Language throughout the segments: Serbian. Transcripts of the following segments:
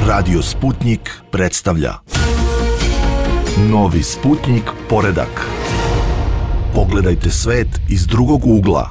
Radio Sputnik predstavlja Novi Sputnik poredak. Pogledajte svet iz drugog ugla.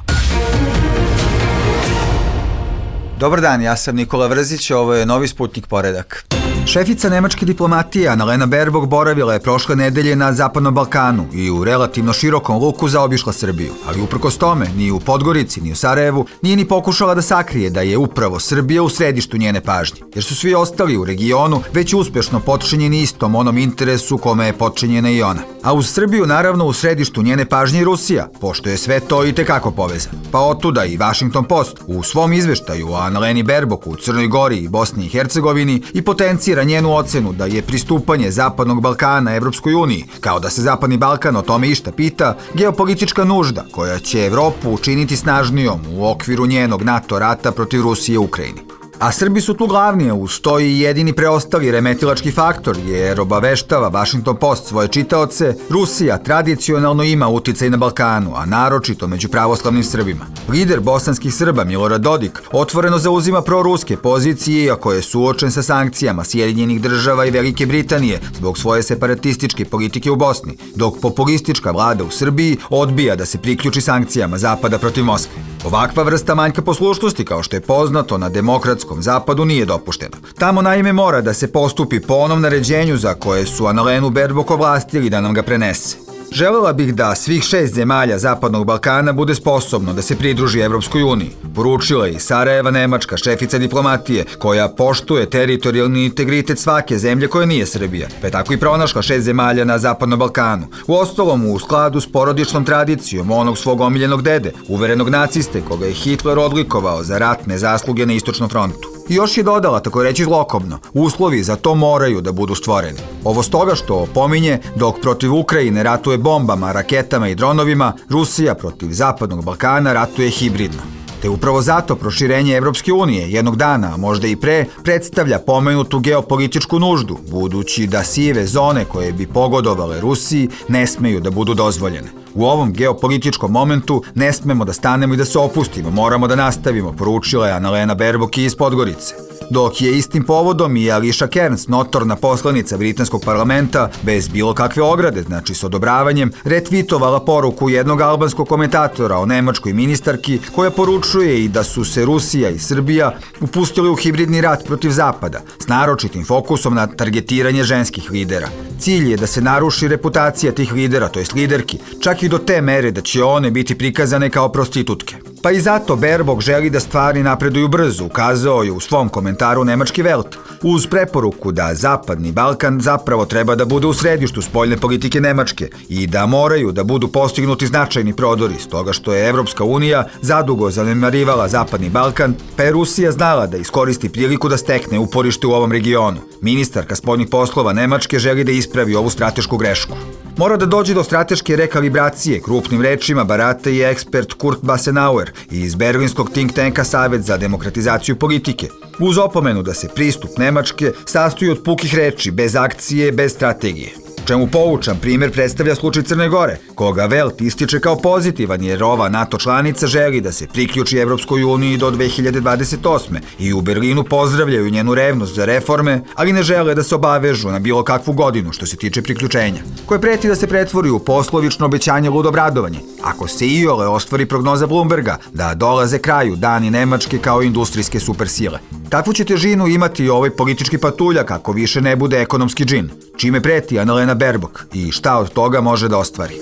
Dobar dan, ja sam Nikola Vrzić, ovo je Novi Sputnik poredak. Šefica nemačke diplomatije Annalena Baerbock boravila je prošle nedelje na Zapadnom Balkanu i u relativno širokom luku zaobišla Srbiju. Ali uprkos tome, ni u Podgorici, ni u Sarajevu, nije ni pokušala da sakrije da je upravo Srbija u središtu njene pažnje. Jer su svi ostali u regionu već uspešno potčinjeni istom onom interesu kome je potčinjena i ona. A uz Srbiju, naravno, u središtu njene pažnje i Rusija, pošto je sve to i tekako povezano. Pa otuda i Washington Post u svom izveštaju o Annaleni Baerbock u Crnoj Gori i Bosni i Hercegovini i potencira njenu ocenu da je pristupanje Zapadnog Balkana Evropskoj uniji, kao da se Zapadni Balkan o tome išta pita, geopolitička nužda koja će Evropu učiniti snažnijom u okviru njenog NATO rata protiv Rusije u Ukrajini. A Srbi su tu glavni, uz to i jedini preostali remetilački faktor, jer obaveštava Washington Post svoje čitaoce, Rusija tradicionalno ima uticaj na Balkanu, a naročito među pravoslavnim Srbima. Lider bosanskih Srba Milorad Dodik otvoreno zauzima proruske pozicije, iako je suočen sa sankcijama Sjedinjenih Država i Velike Britanije zbog svoje separatističke politike u Bosni, dok populistička vlada u Srbiji odbija da se priključi sankcijama Zapada protiv Moskve. Ovakva vrsta manjka poslušnosti, kao što je poznato na demokratskom Zapadu, nije dopuštena. Tamo naime mora da se postupi po onom naređenju za koje su Annalenu Baerbock ovlastili da nam ga prenese. Želela bih da svih 6 zemalja Zapadnog Balkana bude sposobno da se pridruži Evropskoj uniji, poručila je i Sarajeva nemačka šefica diplomatije, koja poštuje teritorijalni integritet svake zemlje koja nije Srbija, pa je tako i pronašla 6 zemalja na Zapadnom Balkanu. Uostalom, u skladu s porodičnom tradicijom onog svog omiljenog dede, uverenog naciste koga je Hitler odlikovao za ratne zasluge na Istočnom frontu. I još je dodala, tako reći zlokobno, uslovi za to moraju da budu stvoreni. Ovo stoga što pominje, dok protiv Ukrajine ratuje bombama, raketama i dronovima, Rusija protiv Zapadnog Balkana ratuje hibridno. Te upravo zato proširenje Evropske unije jednog dana, a možda i pre, predstavlja pomenutu geopolitičku nuždu, budući da sive zone koje bi pogodovale Rusiji ne smeju da budu dozvoljene. U ovom geopolitičkom momentu ne smemo da stanemo i da se opustimo, moramo da nastavimo, poručila je Annalena Baerbock iz Podgorice. Dok je istim povodom i Alicia Kearns, notorna poslanica britanskog parlamenta, bez bilo kakve ograde, znači s odobravanjem, retvitovala poruku jednog albanskog komentatora o nemačkoj ministarki, koja poručuje i da su se Rusija i Srbija upustili u hibridni rat protiv Zapada, s naročitim fokusom na targetiranje ženskih lidera. Cilj je da se naruši reputacija tih lidera, to jest liderki, čak i do te mere da će one biti prikazane kao prostitutke. Pa i zato Baerbock želi da stvari napreduju brzo, ukazao je u svom komentaru nemački Welt, uz preporuku da Zapadni Balkan zapravo treba da bude u središtu spoljne politike Nemačke i da moraju da budu postignuti značajni prodori, stoga što je Evropska unija zadugo zanemarivala Zapadni Balkan, pa je Rusija znala da iskoristi priliku da stekne uporište u ovom regionu. Ministarka spoljnih poslova Nemačke želi da ispravi ovu stratešku grešku. Mora da dođe do strateške rekalibracije, krupnim rečima barata i ekspert Kurt Basenauer iz berlinskog think tanka Savet za demokratizaciju politike, uz opomenu da se pristup Nemačke sastoji od pukih reči, bez akcije, bez strategije. Čemu poučan primjer predstavlja slučaj Crne Gore, koga Welt ističe kao pozitivan jer ova NATO članica želi da se priključi Evropskoj uniji do 2028. i u Berlinu pozdravljaju njenu revnost za reforme, ali ne žele da se obavežu na bilo kakvu godinu što se tiče priključenja, koje preti da se pretvori u poslovično obećanje ludobradovanje, ako se iole ostvari prognoza Bloomberga da dolaze kraju dani Nemačke kao industrijske supersile. Takvu će težinu imati i ovaj politički patuljak ako više ne bude ekonomski džin, čime preti Annalena Baerbock i šta od toga može da ostvari.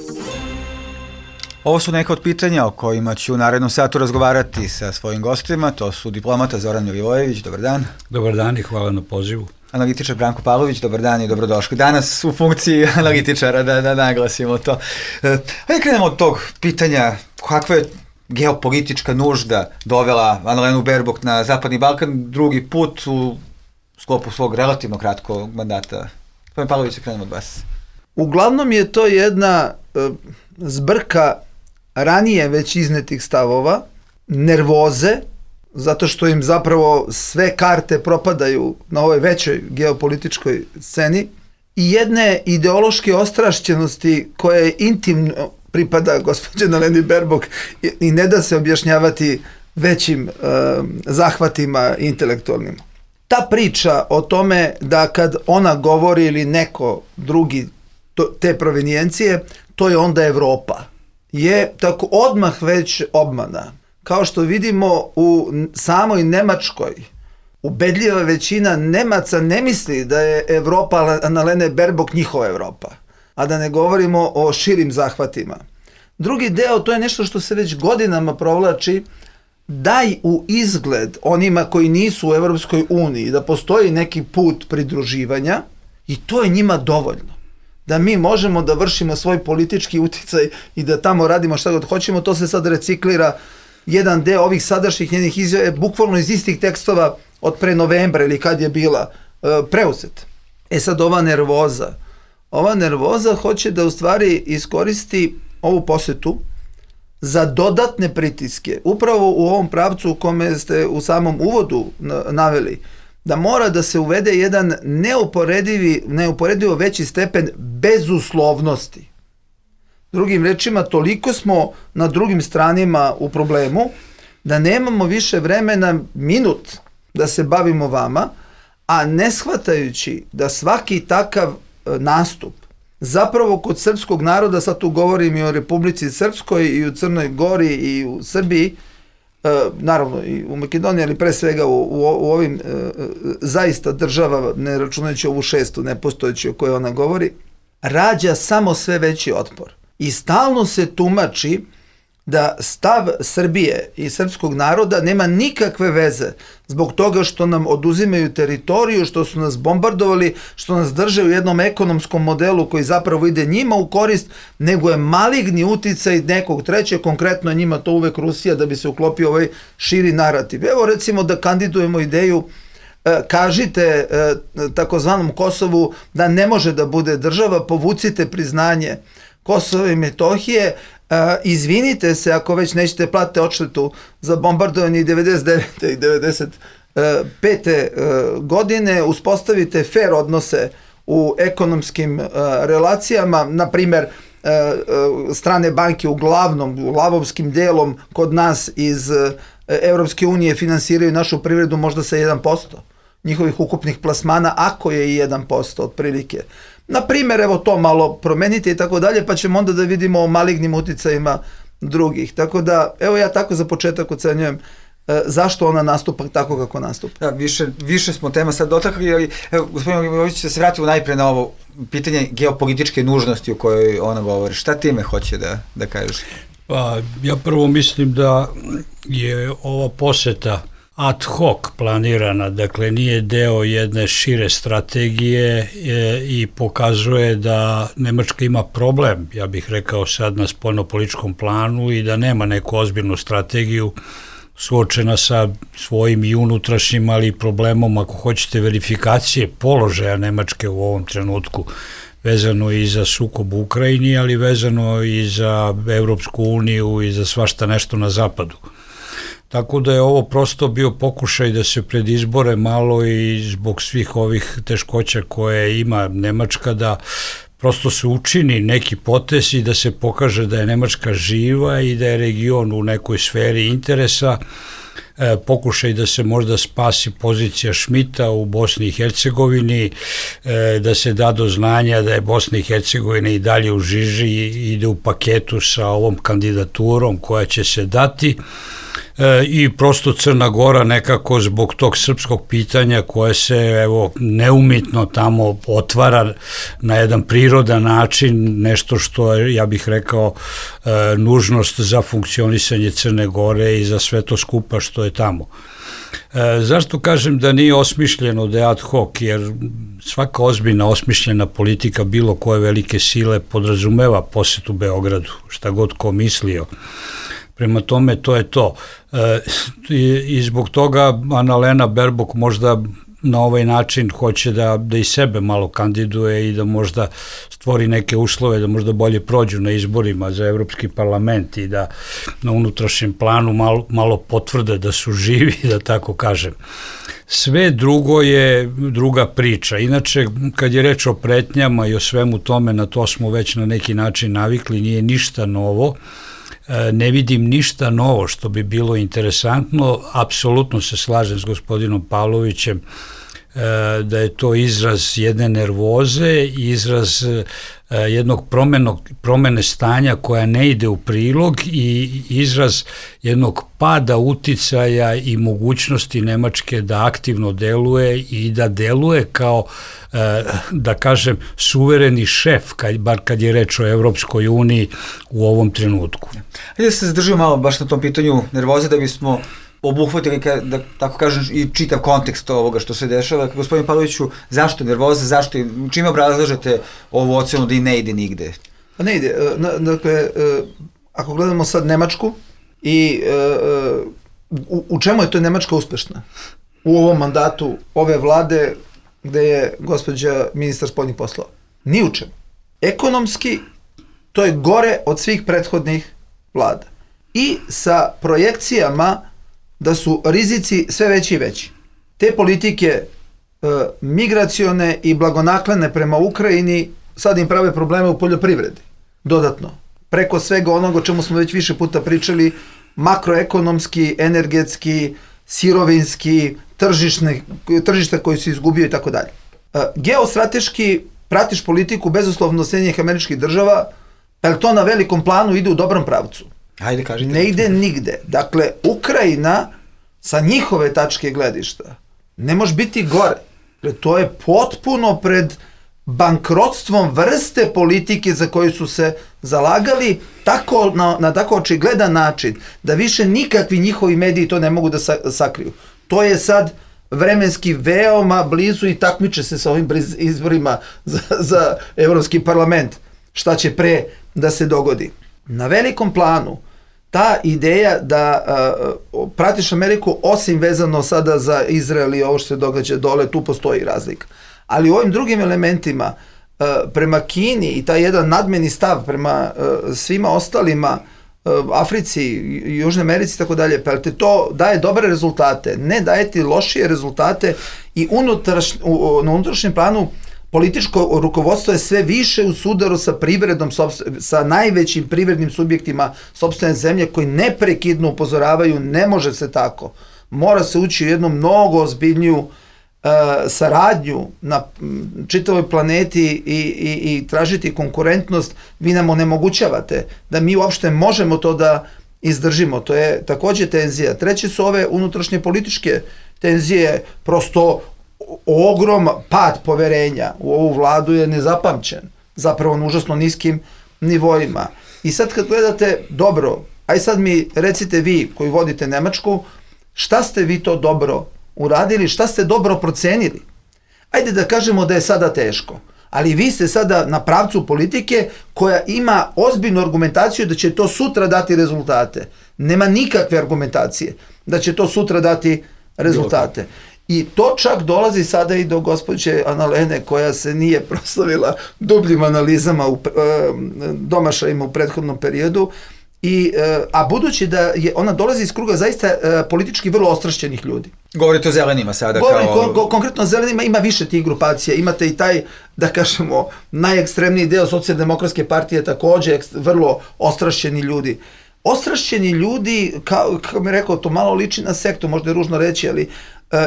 Ovo su neka od pitanja o kojima ću u narednom satu razgovarati sa svojim gostima, to su diplomata Zoran Milivojević, dobar dan. Dobar dan i hvala na pozivu. Analitičar Branko Pavlović, dobar dan i dobrodošli. Danas u funkciji analitičara, da naglasimo to. Hajde krenemo od tog pitanja, kakva je geopolitička nužda dovela Annalenu Baerbock na Zapadni Balkan drugi put u sklopu svog relativno kratkog mandata. Gospodin Pavlović, krenemo od vas. Uglavnom je to jedna zbrka ranije već iznetih stavova, nervoze, zato što im zapravo sve karte propadaju na ovoj većoj geopolitičkoj sceni i jedne ideološke ostrašćenosti koje intimno pripada gospođe Annaleni Baerbock i ne da se objašnjavati većim zahvatima intelektualnim. ta priča o tome da kad ona govori ili neko drugi te provenijencije, to je onda Evropa, je tako odmah već obmana. Kao što vidimo u samoj Nemačkoj, ubedljiva većina Nemaca ne misli da je Evropa Annalene Baerbock njihova Evropa, a da ne govorimo o širim zahvatima. Drugi deo, to je nešto što se već godinama provlači, daj u izgled onima koji nisu u Evropskoj uniji da postoji neki put pridruživanja i to je njima dovoljno. Da mi možemo da vršimo svoj politički uticaj i da tamo radimo šta god hoćemo, to se sad reciklira. Jedan deo ovih sadašnjih njenih izjava je bukvalno iz istih tekstova od pre novembra ili kad je bila preuzet. Sad ova nervoza hoće da u stvari iskoristi ovu posetu za dodatne pritiske, upravo u ovom pravcu u kome ste u samom uvodu naveli, da mora da se uvede jedan neuporedivo veći stepen bezuslovnosti. Drugim rečima, toliko smo na drugim stranima u problemu, da nemamo više vremena minut da se bavimo vama, a ne shvatajući da svaki takav nastup zapravo kod srpskog naroda, sad tu govorim i o Republici Srpskoj i u Crnoj Gori i u Srbiji, naravno i u Makedoniji, ali pre svega u ovim zaista država, ne računajući ovu šestu nepostojeću o kojoj ona govori, rađa samo sve veći otpor. I stalno se tumači da stav Srbije i srpskog naroda nema nikakve veze zbog toga što nam oduzimaju teritoriju, što su nas bombardovali, što nas drže u jednom ekonomskom modelu koji zapravo ide njima u korist, nego je maligni uticaj nekog trećeg, konkretno je njima to uvek Rusija, da bi se uklopio ovaj širi narativ. Evo recimo da kandidujemo ideju, kažite takozvanom Kosovu da ne može da bude država, povucite priznanje Kosova i Metohije, izvinite se ako već nećete platiti odštetu za bombardovanje i 99. i 95. godine, uspostavite fair odnose u ekonomskim relacijama, na primer strane banke uglavnom, lavovskim delom kod nas iz Evropske unije finansiraju našu privredu možda sa 1% njihovih ukupnih plasmana, ako je i 1% otprilike. Na primjer, evo to malo promenite i tako dalje, pa ćemo onda da vidimo o malignim uticajima drugih. Tako da, evo ja tako za početak ocenjujem zašto ona nastupa tako kako nastupa. Da, više smo tema sad dotakli, ali gospodin Milivojević će se vratiti najpre na ovo pitanje geopolitičke nužnosti o kojoj ona govori. Šta time hoće da kažeš? Pa, ja prvo mislim da je ova poseta ad hoc planirana, dakle nije deo jedne šire strategije i pokazuje da Nemačka ima problem, ja bih rekao sad na spoljnopolitičkom planu, i da nema neku ozbiljnu strategiju suočena sa svojim i unutrašnjim, ali i problemom, ako hoćete, verifikacije položaja Nemačke u ovom trenutku, vezano i za sukob u Ukrajini, ali vezano i za Evropsku uniju i za svašta nešto na zapadu. Tako da je ovo prosto bio pokušaj da se pred izbore malo i zbog svih ovih teškoća koje ima Nemačka, da prosto se učini neki potez i da se pokaže da je Nemačka živa i da je region u nekoj sferi interesa, pokušaj da se možda spasi pozicija Schmidta u Bosni i Hercegovini, da se da do znanja da je Bosna i Hercegovina i dalje u žiži i ide u paketu sa ovom kandidaturom koja će se dati, i prosto Crna Gora nekako zbog tog srpskog pitanja koje se evo neumitno tamo otvara na jedan prirodan način, nešto što je, ja bih rekao, nužnost za funkcionisanje Crne Gore i za sve to skupa što je tamo. Zašto kažem da nije osmišljeno, da je ad hoc? Jer svaka ozbiljna osmišljena politika bilo koje velike sile podrazumeva posetu Beogradu, šta god ko mislio. Prema tome, to je to. I zbog toga Annalena Baerbock možda na ovaj način hoće da i sebe malo kandiduje i da možda stvori neke uslove, da možda bolje prođu na izborima za Evropski parlament i da na unutrašnjem planu malo potvrde da su živi, da tako kažem. Sve drugo je druga priča. Inače, kad je reč o pretnjama i o svemu tome, na to smo već na neki način navikli, nije ništa novo. Ne vidim ništa novo što bi bilo interesantno, apsolutno se slažem s gospodinom Pavlovićem da je to izraz jedne nervoze, izraz jednog promene stanja koja ne ide u prilog i izraz jednog pada uticaja i mogućnosti Nemačke da aktivno deluje i da deluje kao, da kažem, suvereni šef, bar kad je reč o Evropskoj uniji u ovom trenutku. Hajde da se zadržimo malo baš na tom pitanju nervoze da bismo obuhvatili, da tako kažem, i čitav kontekst ovoga što se dešava. Gospodin Pavloviću, zašto nervoza, čime obrazlažete ovu ocenu da i ne ide nigde? Pa ne ide. Dakle, ako gledamo sad Nemačku i u čemu je to Nemačka uspešna? U ovom mandatu ove vlade gde je gospođa ministar spoljnih poslova. Ni u čemu. Ekonomski, to je gore od svih prethodnih vlada. I sa projekcijama da su rizici sve veći i veći. Te politike migracione i blagonaklone prema Ukrajini sad im prave probleme u poljoprivredi. Dodatno. Preko svega onoga o čemu smo već više puta pričali, makroekonomski, energetski, sirovinski, tržišta koji se izgubio i tako dalje. Geostrateški pratiš politiku bezuslovno Sjedinjenih Američkih Država, pa je to na velikom planu ide u dobrom pravcu. Hajde, kažite. Ne ide nigde. Dakle, Ukrajina sa njihove tačke gledišta ne može biti gore. To je potpuno pred bankrotstvom vrste politike za koju su se zalagali tako, na tako očigledan način da više nikakvi njihovi mediji to ne mogu da sakriju. To je sad vremenski veoma blizu i takmiče se sa ovim izborima za Evropski parlament. Šta će pre da se dogodi? Na velikom planu ta ideja da pratiš Ameriku, osim vezano sada za Izrael i ovo što se događa dole, tu postoji razlika. Ali u ovim drugim elementima, prema Kini i taj jedan nadmeni stav prema svima ostalima, Africi, Južnoj Americi i tako dalje, pa te to daje dobre rezultate, ne daje ti lošije rezultate i na unutrašnjem planu političko rukovodstvo je sve više u sudaru sa privredom, sa najvećim privrednim subjektima sopstvene zemlje koji neprekidno upozoravaju ne može se tako. Mora se ući u jednu mnogo ozbiljniju saradnju na čitavoj planeti i tražiti konkurentnost. Vi nam onemogućavate da mi uopšte možemo to da izdržimo. To je takođe tenzija. Treće su ove unutrašnje političke tenzije, prosto ogroman pad poverenja u ovu vladu je nezapamćen, zapravo na užasno niskim nivoima. I sad kad gledate, dobro, aj sad mi recite vi koji vodite Nemačku, šta ste vi to dobro uradili, šta ste dobro procenili? Ajde da kažemo da je sada teško, ali vi ste sada na pravcu politike koja ima ozbiljnu argumentaciju da će to sutra dati rezultate. Nema nikakve argumentacije da će to sutra dati rezultate. I to čak dolazi sada i do gospođe Annalene koja se nije proslavila dubljim analizama, domašajima u prethodnom periodu, a budući da ona dolazi iz kruga zaista politički vrlo ostrašćenih ljudi. Govorite o zelenima sada? Konkretno o zelenima ima više tih grupacija. Imate i taj, da kažemo, najekstremniji deo Socijaldemokratske partije, takođe vrlo ostrašćeni ljudi. Ostrašćeni ljudi, kao mi rekao, to malo liči na sektu, možda je ružno reći, ali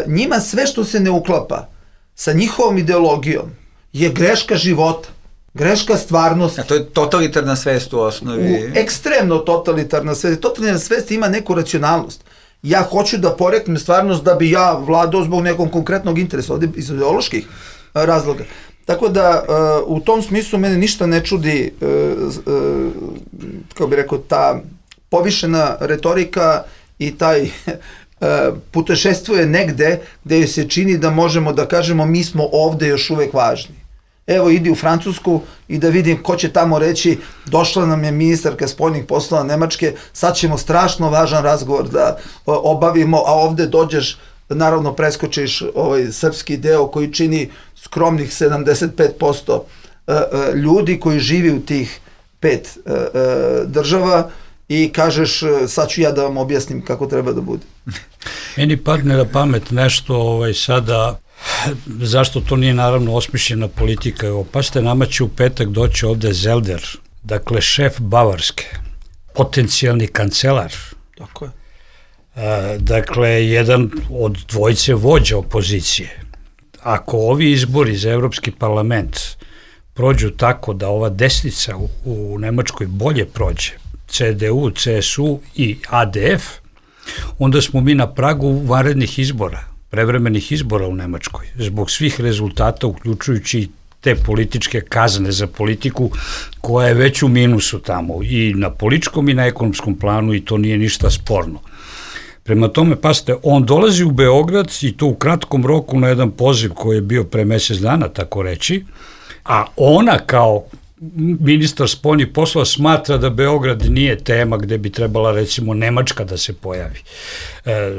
njima sve što se ne uklapa sa njihovom ideologijom je greška života, greška stvarnosti. A to je totalitarna svest u osnovi. Ekstremno totalitarna svest. Totalitarna svest ima neku racionalnost. Ja hoću da poreknem stvarnost da bi ja vladao zbog nekog konkretnog interesa, ovdje iz ideoloških razloga. Tako da u tom smislu mene ništa ne čudi, kao bih rekao, ta povišena retorika i taj putešestvuje negde gde joj se čini da možemo da kažemo mi smo ovde još uvek važni. Evo, idi u Francusku i da vidim ko će tamo reći došla nam je ministarka spoljnih poslova Nemačke, sad ćemo strašno važan razgovor da obavimo, a ovde dođeš, naravno preskočiš ovaj srpski deo koji čini skromnih 75% ljudi koji živi u tih 5 država i kažeš sad ću ja da vam objasnim kako treba da bude. Meni padne na pamet nešto sada, zašto to nije naravno osmišljena politika. Pa ste, nama će u petak doći ovde Zelder, dakle šef Bavarske, potencijalni kancelar. Tako je. Dakle, jedan od dvojice vođa opozicije. ako ovi izbori za Evropski parlament prođu tako da ova desnica u Nemačkoj bolje prođe, CDU, CSU i ADF, onda smo mi na pragu vanrednih izbora, prevremenih izbora u Nemačkoj, zbog svih rezultata, uključujući te političke kazne za politiku koja je već u minusu tamo i na političkom i na ekonomskom planu i to nije ništa sporno. Prema tome, pasite, on dolazi u Beograd i to u kratkom roku na jedan poziv koji je bio pre mesec dana, tako reći, a ona kao ministar spoljnih poslova smatra da Beograd nije tema gde bi trebala recimo Nemačka da se pojavi.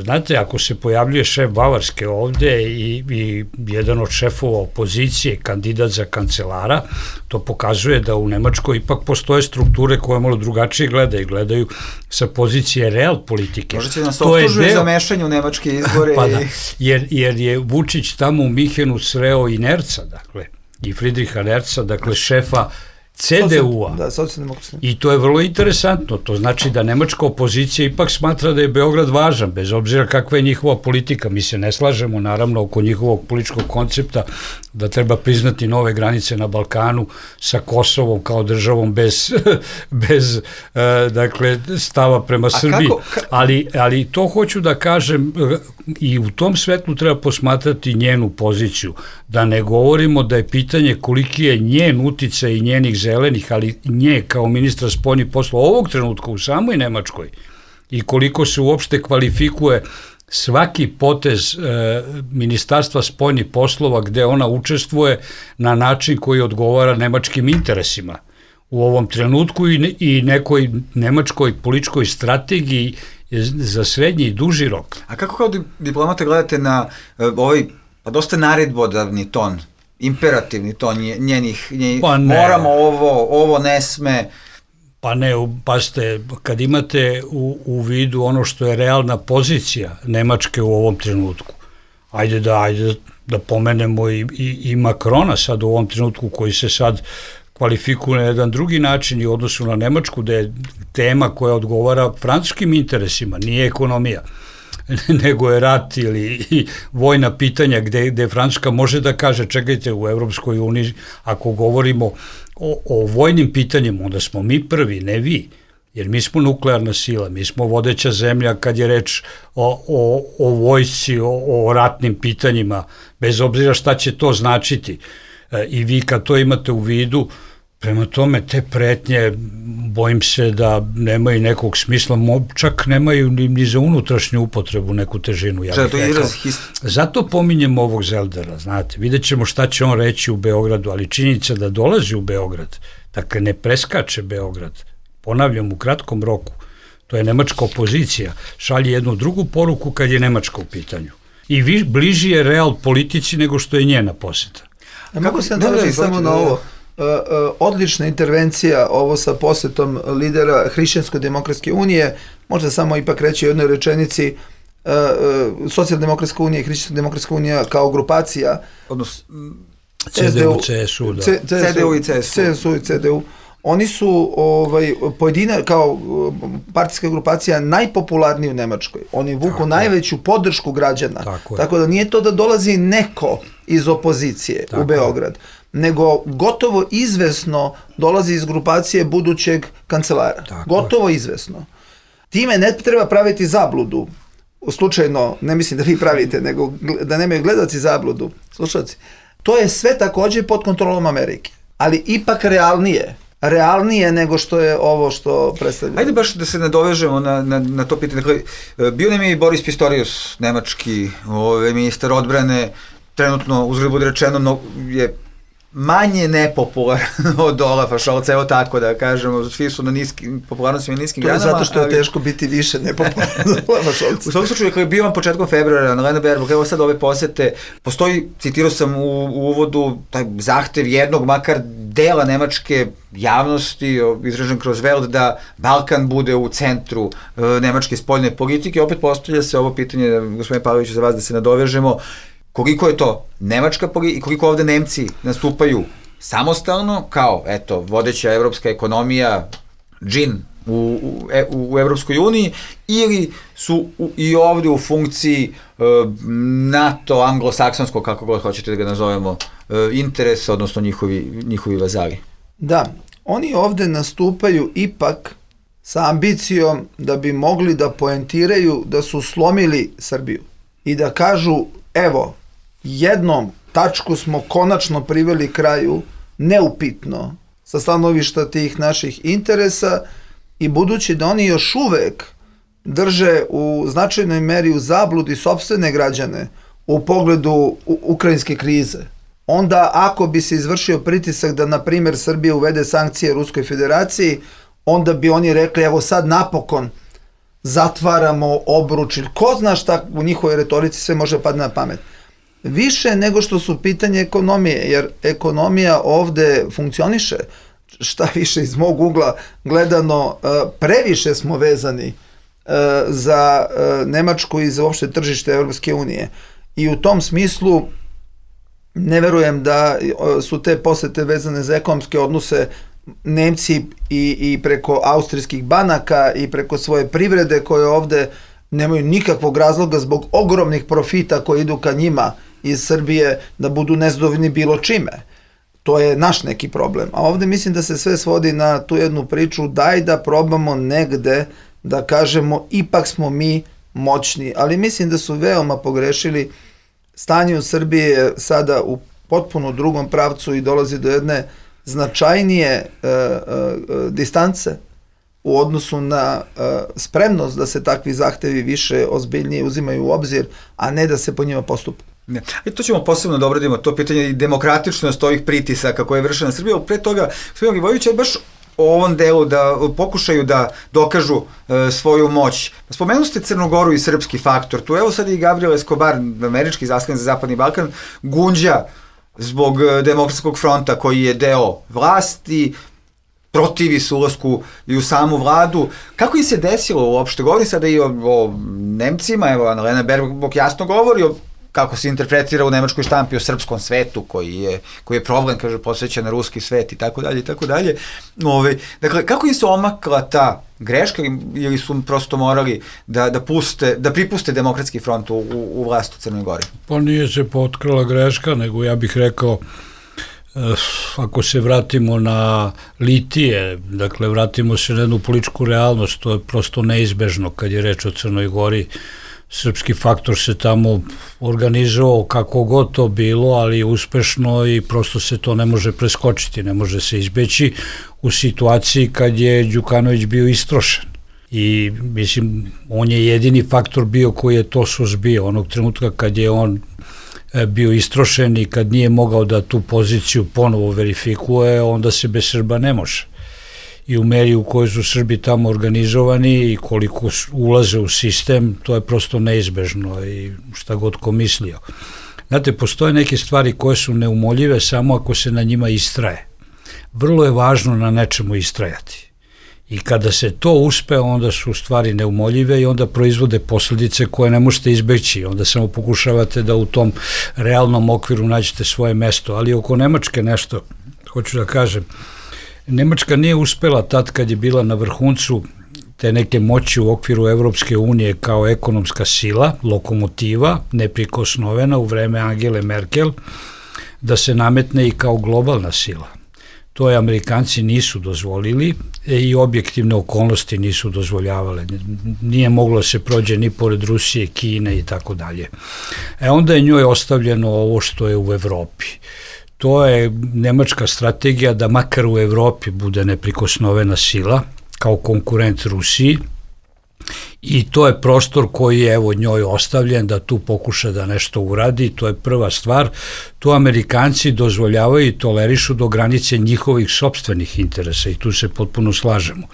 Znate, ako se pojavljuje šef Bavarske ovde i jedan od šefova opozicije, kandidat za kancelara, to pokazuje da u Nemačkoj ipak postoje strukture koje malo drugačije gledaju sa pozicije real politike. Možda će nas optužuje za mešanje u nemačke izbore. Pa da, jer je Vučić tamo u Minhenu sreo i Nerca, dakle, i Friedricha Nerca, dakle šefa CDU-a. Da, socijaldemokratski. I to je vrlo interesantno. To znači da nemačka opozicija ipak smatra da je Beograd važan, bez obzira kakva je njihova politika. Mi se ne slažemo, naravno, oko njihovog političkog koncepta da treba priznati nove granice na Balkanu sa Kosovom kao državom bez dakle, stava prema Srbiji. Ali to hoću da kažem i u tom svetlu treba posmatrati njenu poziciju. Da ne govorimo da je pitanje koliki je njen uticaj i njenih zelenih, ali nje kao ministra spoljnih poslova ovog trenutka u samoj Nemačkoj i koliko se uopšte kvalifikuje svaki potez Ministarstva spoljnih poslova gde ona učestvuje na način koji odgovara nemačkim interesima u ovom trenutku i nekoj nemačkoj političkoj strategiji za srednji i duži rok. A kako kao diplomata gledate na ovaj, pa dosta naredbodavni ton, imperativni ton njenih moramo ovo ne sme. Pa ne, pasite, kad imate u vidu ono što je realna pozicija Nemačke u ovom trenutku, ajde da pomenemo i Makrona sad u ovom trenutku koji se sad kvalifikuje na jedan drugi način i u odnosu na Nemačku, da je tema koja odgovara francuskim interesima, nije ekonomija, nego je rat ili vojna pitanja gde Francuska može da kaže čekajte u Evropskoj uniji, ako govorimo o vojnim pitanjima, onda smo mi prvi, ne vi, jer mi smo nuklearna sila, mi smo vodeća zemlja kad je reč o vojsci, o ratnim pitanjima, bez obzira šta će to značiti. I vi kad to imate u vidu, prema tome te pretnje, bojim se da nemaju nekog smisla, čak nemaju ni za unutrašnju upotrebu neku težinu, ja bih rekao. Zato pominjem ovog Zeldera, znate, vidjet ćemo šta će on reći u Beogradu, ali činjenica da dolazi u Beograd, dakle ne preskače Beograd, ponavljam u kratkom roku, to je nemačka opozicija, šalje jednu drugu poruku kad je Nemačka u pitanju. I bliži je real politici nego što je njena poseta. Mogu se nadoveći samo na ovo. Odlična intervencija ovo sa posetom lidera Hrišćansko-demokratske unije, možda samo ipak reći u jednoj rečenici, Socijaldemokratska unija i Hrišćansko-demokratska unija kao grupacija, odnosno CDU, CSU, da. CDU i CSU. CSU i CDU. Oni su pojedine kao partijska grupacija najpopularniji u Nemačkoj. Oni vuku najveću podršku građana. Tako da nije to da dolazi neko iz opozicije u Beograd, nego gotovo izvesno dolazi iz grupacije budućeg kancelara. Gotovo izvesno. Time ne treba praviti zabludu. Slučajno, ne mislim da vi pravite, nego da nemaju gledalci zabludu. Slušalci. To je sve takođe pod kontrolom Amerike. Ali ipak realnije nego što je ovo što predstavlja. Ajde baš da se nadovežemo na to pitanje. Dakle, bio nam je i Boris Pistorius, nemački ministar odbrane, trenutno, uzgled bude rečeno, je manje nepopularan od Olafa Scholza, evo tako da kažemo, svi su na popularnosti i niskim granama. To je zato što je teško biti više nepopularan od Olafa Scholza. U svakom slučaju, kada je bio vam početkom februara na Lena Baerbock, evo sad ove posete, postoji, citirao sam u uvodu, taj zahtev jednog, makar dela nemačke javnosti, izražen kroz Welt, da Balkan bude u centru nemačke spoljne politike. Opet postavlja se ovo pitanje, gospodine Pavloviću, za vas da se nadovežemo, koliko je to nemačka politika i koliko ovde Nemci nastupaju samostalno, kao, eto, vodeća evropska ekonomija, džin u Evropskoj uniji ili su i ovde u funkciji NATO, anglosaksonsko, kako god hoćete da ga nazovemo, interesa, odnosno njihovi vazali? Da, oni ovde nastupaju ipak sa ambicijom da bi mogli da poentiraju da su slomili Srbiju i da kažu, evo, jednom tačku smo konačno priveli kraju, neupitno, sa stanovišta tih naših interesa, i budući da oni još uvek drže u značajnoj meri u zabludi sopstvene građane u pogledu ukrajinske krize, onda ako bi se izvršio pritisak da, na primjer, Srbija uvede sankcije Ruskoj federaciji, onda bi oni rekli, evo sad napokon zatvaramo obruč, ili ko zna šta u njihovoj retorici sve može padne na pamet. Više nego što su pitanje ekonomije, jer ekonomija ovde funkcioniše, šta više iz mog ugla gledano, previše smo vezani za Nemačku i za uopšte tržište Evropske unije. I u tom smislu ne verujem da su te posete vezane za ekonomske odnose. Nemci i preko austrijskih banaka i preko svoje privrede koje ovde nemaju nikakvog razloga zbog ogromnih profita koji idu ka njima iz Srbije da budu nezadovoljni bilo čime. To je naš neki problem. A ovde mislim da se sve svodi na tu jednu priču, daj da probamo negde da kažemo ipak smo mi moćni. Ali mislim da su veoma pogrešili. Stanje u Srbiji je sada u potpuno drugom pravcu i dolazi do jedne značajnije distance u odnosu na spremnost da se takvi zahtevi više ozbiljnije uzimaju u obzir, a ne da se po njima postupa. Ne. I to ćemo posebno da obradimo, to pitanje i demokratičnost ovih pritisaka koje je vršena na Srbiju. Pre toga, gospodin Milivojević, je baš o ovom delu da pokušaju da dokažu svoju moć. Spomenu ste Crnu Goru i srpski faktor. Tu evo sad i Gabriel Escobar, američki zaslanik za Zapadni Balkan, gunđa zbog Demokratskog fronta koji je deo vlasti, protivi se ulasku i u samu vladu. Kako im se desilo uopšte? Govori sada i o Nemcima, evo Annalena Baerbock jasno govori o kako se interpretira u nemačkoj štampi o srpskom svetu koji je problem, kaže, posvećen na ruski svet i tako dalje i tako dalje. Dakle, kako im se omakla ta greška ili su prosto morali da pripuste Demokratski front u vlast u Crnoj Gori? Pa nije se potkrala greška, nego ja bih rekao, ako se vratimo na litije, dakle vratimo se na jednu političku realnost, to je prosto neizbežno kad je reč o Crnoj Gori. Srpski faktor se tamo organizovao kako god to bilo, ali uspešno, i prosto se to ne može preskočiti, ne može se izbeći u situaciji kad je Đukanović bio istrošen. I mislim, on je jedini faktor bio koji je to suzbio. Onog trenutka kad je on bio istrošen i kad nije mogao da tu poziciju ponovo verifikuje, onda se bez Srba ne može. I u meri u kojoj su Srbi tamo organizovani i koliko ulaze u sistem, to je prosto neizbežno, i šta god ko mislio. Znate, postoje neke stvari koje su neumoljive samo ako se na njima istraje. Vrlo je važno na nečemu istrajati. I kada se to uspe, onda su stvari neumoljive i onda proizvode posledice koje ne možete izbeći. Onda samo pokušavate da u tom realnom okviru nađete svoje mesto. Ali oko Nemačke nešto, hoću da kažem, Nemačka nije uspela tad kad je bila na vrhuncu te neke moći u okviru Evropske unije kao ekonomska sila, lokomotiva, neprikosnovena u vreme Angele Merkel, da se nametne i kao globalna sila. To je Amerikanci nisu dozvolili i objektivne okolnosti nisu dozvoljavale. Nije moglo se prođe ni pored Rusije, Kine i tako dalje. Onda je njoj ostavljeno ovo što je u Evropi. To je nemačka strategija da makar u Evropi bude neprikosnovena sila kao konkurent Rusiji, i to je prostor koji je evo njoj ostavljen da tu pokuša da nešto uradi. To je prva stvar. To Amerikanci dozvoljavaju i tolerišu do granice njihovih sopstvenih interesa, i tu se potpuno slažemo.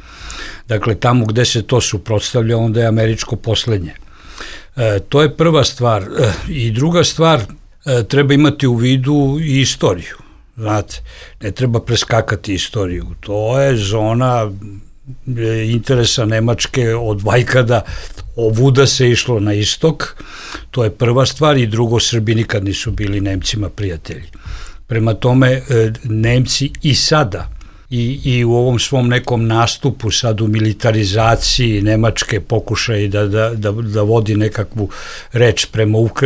Dakle, tamo gde se to suprotstavlja, onda je američko poslednje. To je prva stvar. I druga stvar, treba imati u vidu i istoriju. Znate, ne treba preskakati istoriju. To je zona interesa Nemačke od vajkada, ovuda se išlo na istok. To je prva stvar. I drugo, Srbi nikad nisu bili Nemcima prijatelji. Prema tome, Nemci i sada i u ovom svom nekom nastupu sad u militarizaciji Nemačke pokušaj da vodi nekakvu reč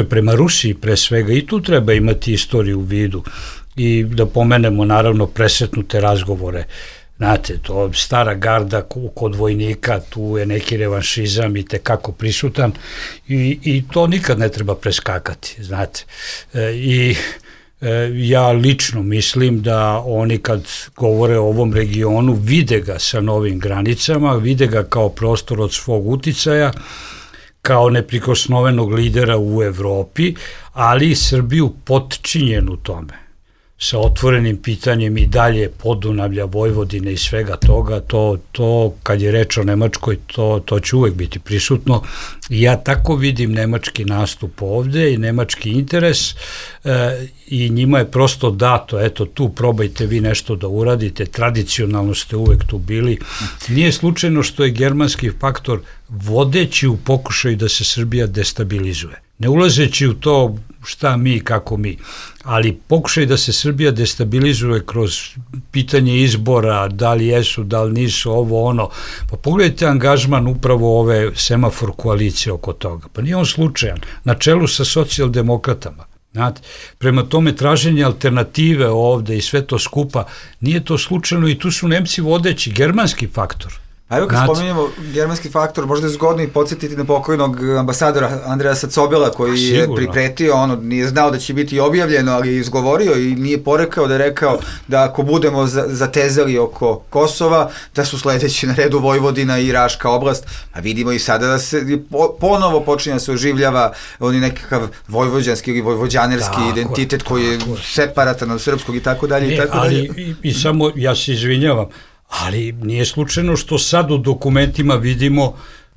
prema Rusiji pre svega, i tu treba imati istoriju u vidu i da pomenemo naravno presretnute razgovore. Znate, to stara garda kod vojnika, tu je neki revanšizam i tekako prisutan i to nikad ne treba preskakati, znate. Ja lično mislim da oni kad govore o ovom regionu vide ga sa novim granicama, vide ga kao prostor od svog uticaja, kao neprikosnovenog lidera u Evropi, ali i Srbiju potčinjenu tome, sa otvorenim pitanjem i dalje Podunavlja, Vojvodine i svega toga, to kad je reč o Nemačkoj, to će uvek biti prisutno. I ja tako vidim nemački nastup ovde i nemački interes i njima je prosto dato, eto tu probajte vi nešto da uradite, tradicionalno ste uvek tu bili. Nije slučajno što je germanski faktor vodeći u pokušaju da se Srbija destabilizuje. Ne ulazeći u to šta mi, kako mi, ali pokušaj da se Srbija destabilizuje kroz pitanje izbora, da li jesu, da li nisu, ovo, ono. Pa pogledajte angažman upravo ove semafor koalicije oko toga. Pa nije on slučajan, na čelu sa socijaldemokratama. Znate, prema tome traženje alternative ovde i sve to skupa, nije to slučajno i tu su Nemci vodeći, germanski faktor. A evo kad spominjemo germanski faktor, možda je zgodno i podsjetiti na pokojnog ambasadora Andreasa Cobela koji je pripretio, nije znao da će biti objavljeno, ali je izgovorio i nije porekao da je rekao da ako budemo zatezali oko Kosova, da su sledeći na redu Vojvodina i Raška oblast, a vidimo i sada da se ponovo počinje da se oživljava oni nekakav vojvođanski ili vojvođanerski identitet koji je separatan od srpskog i tako dalje i tako dalje. I samo, ja se izvinjavam, ali nije slučajno što sad u dokumentima vidimo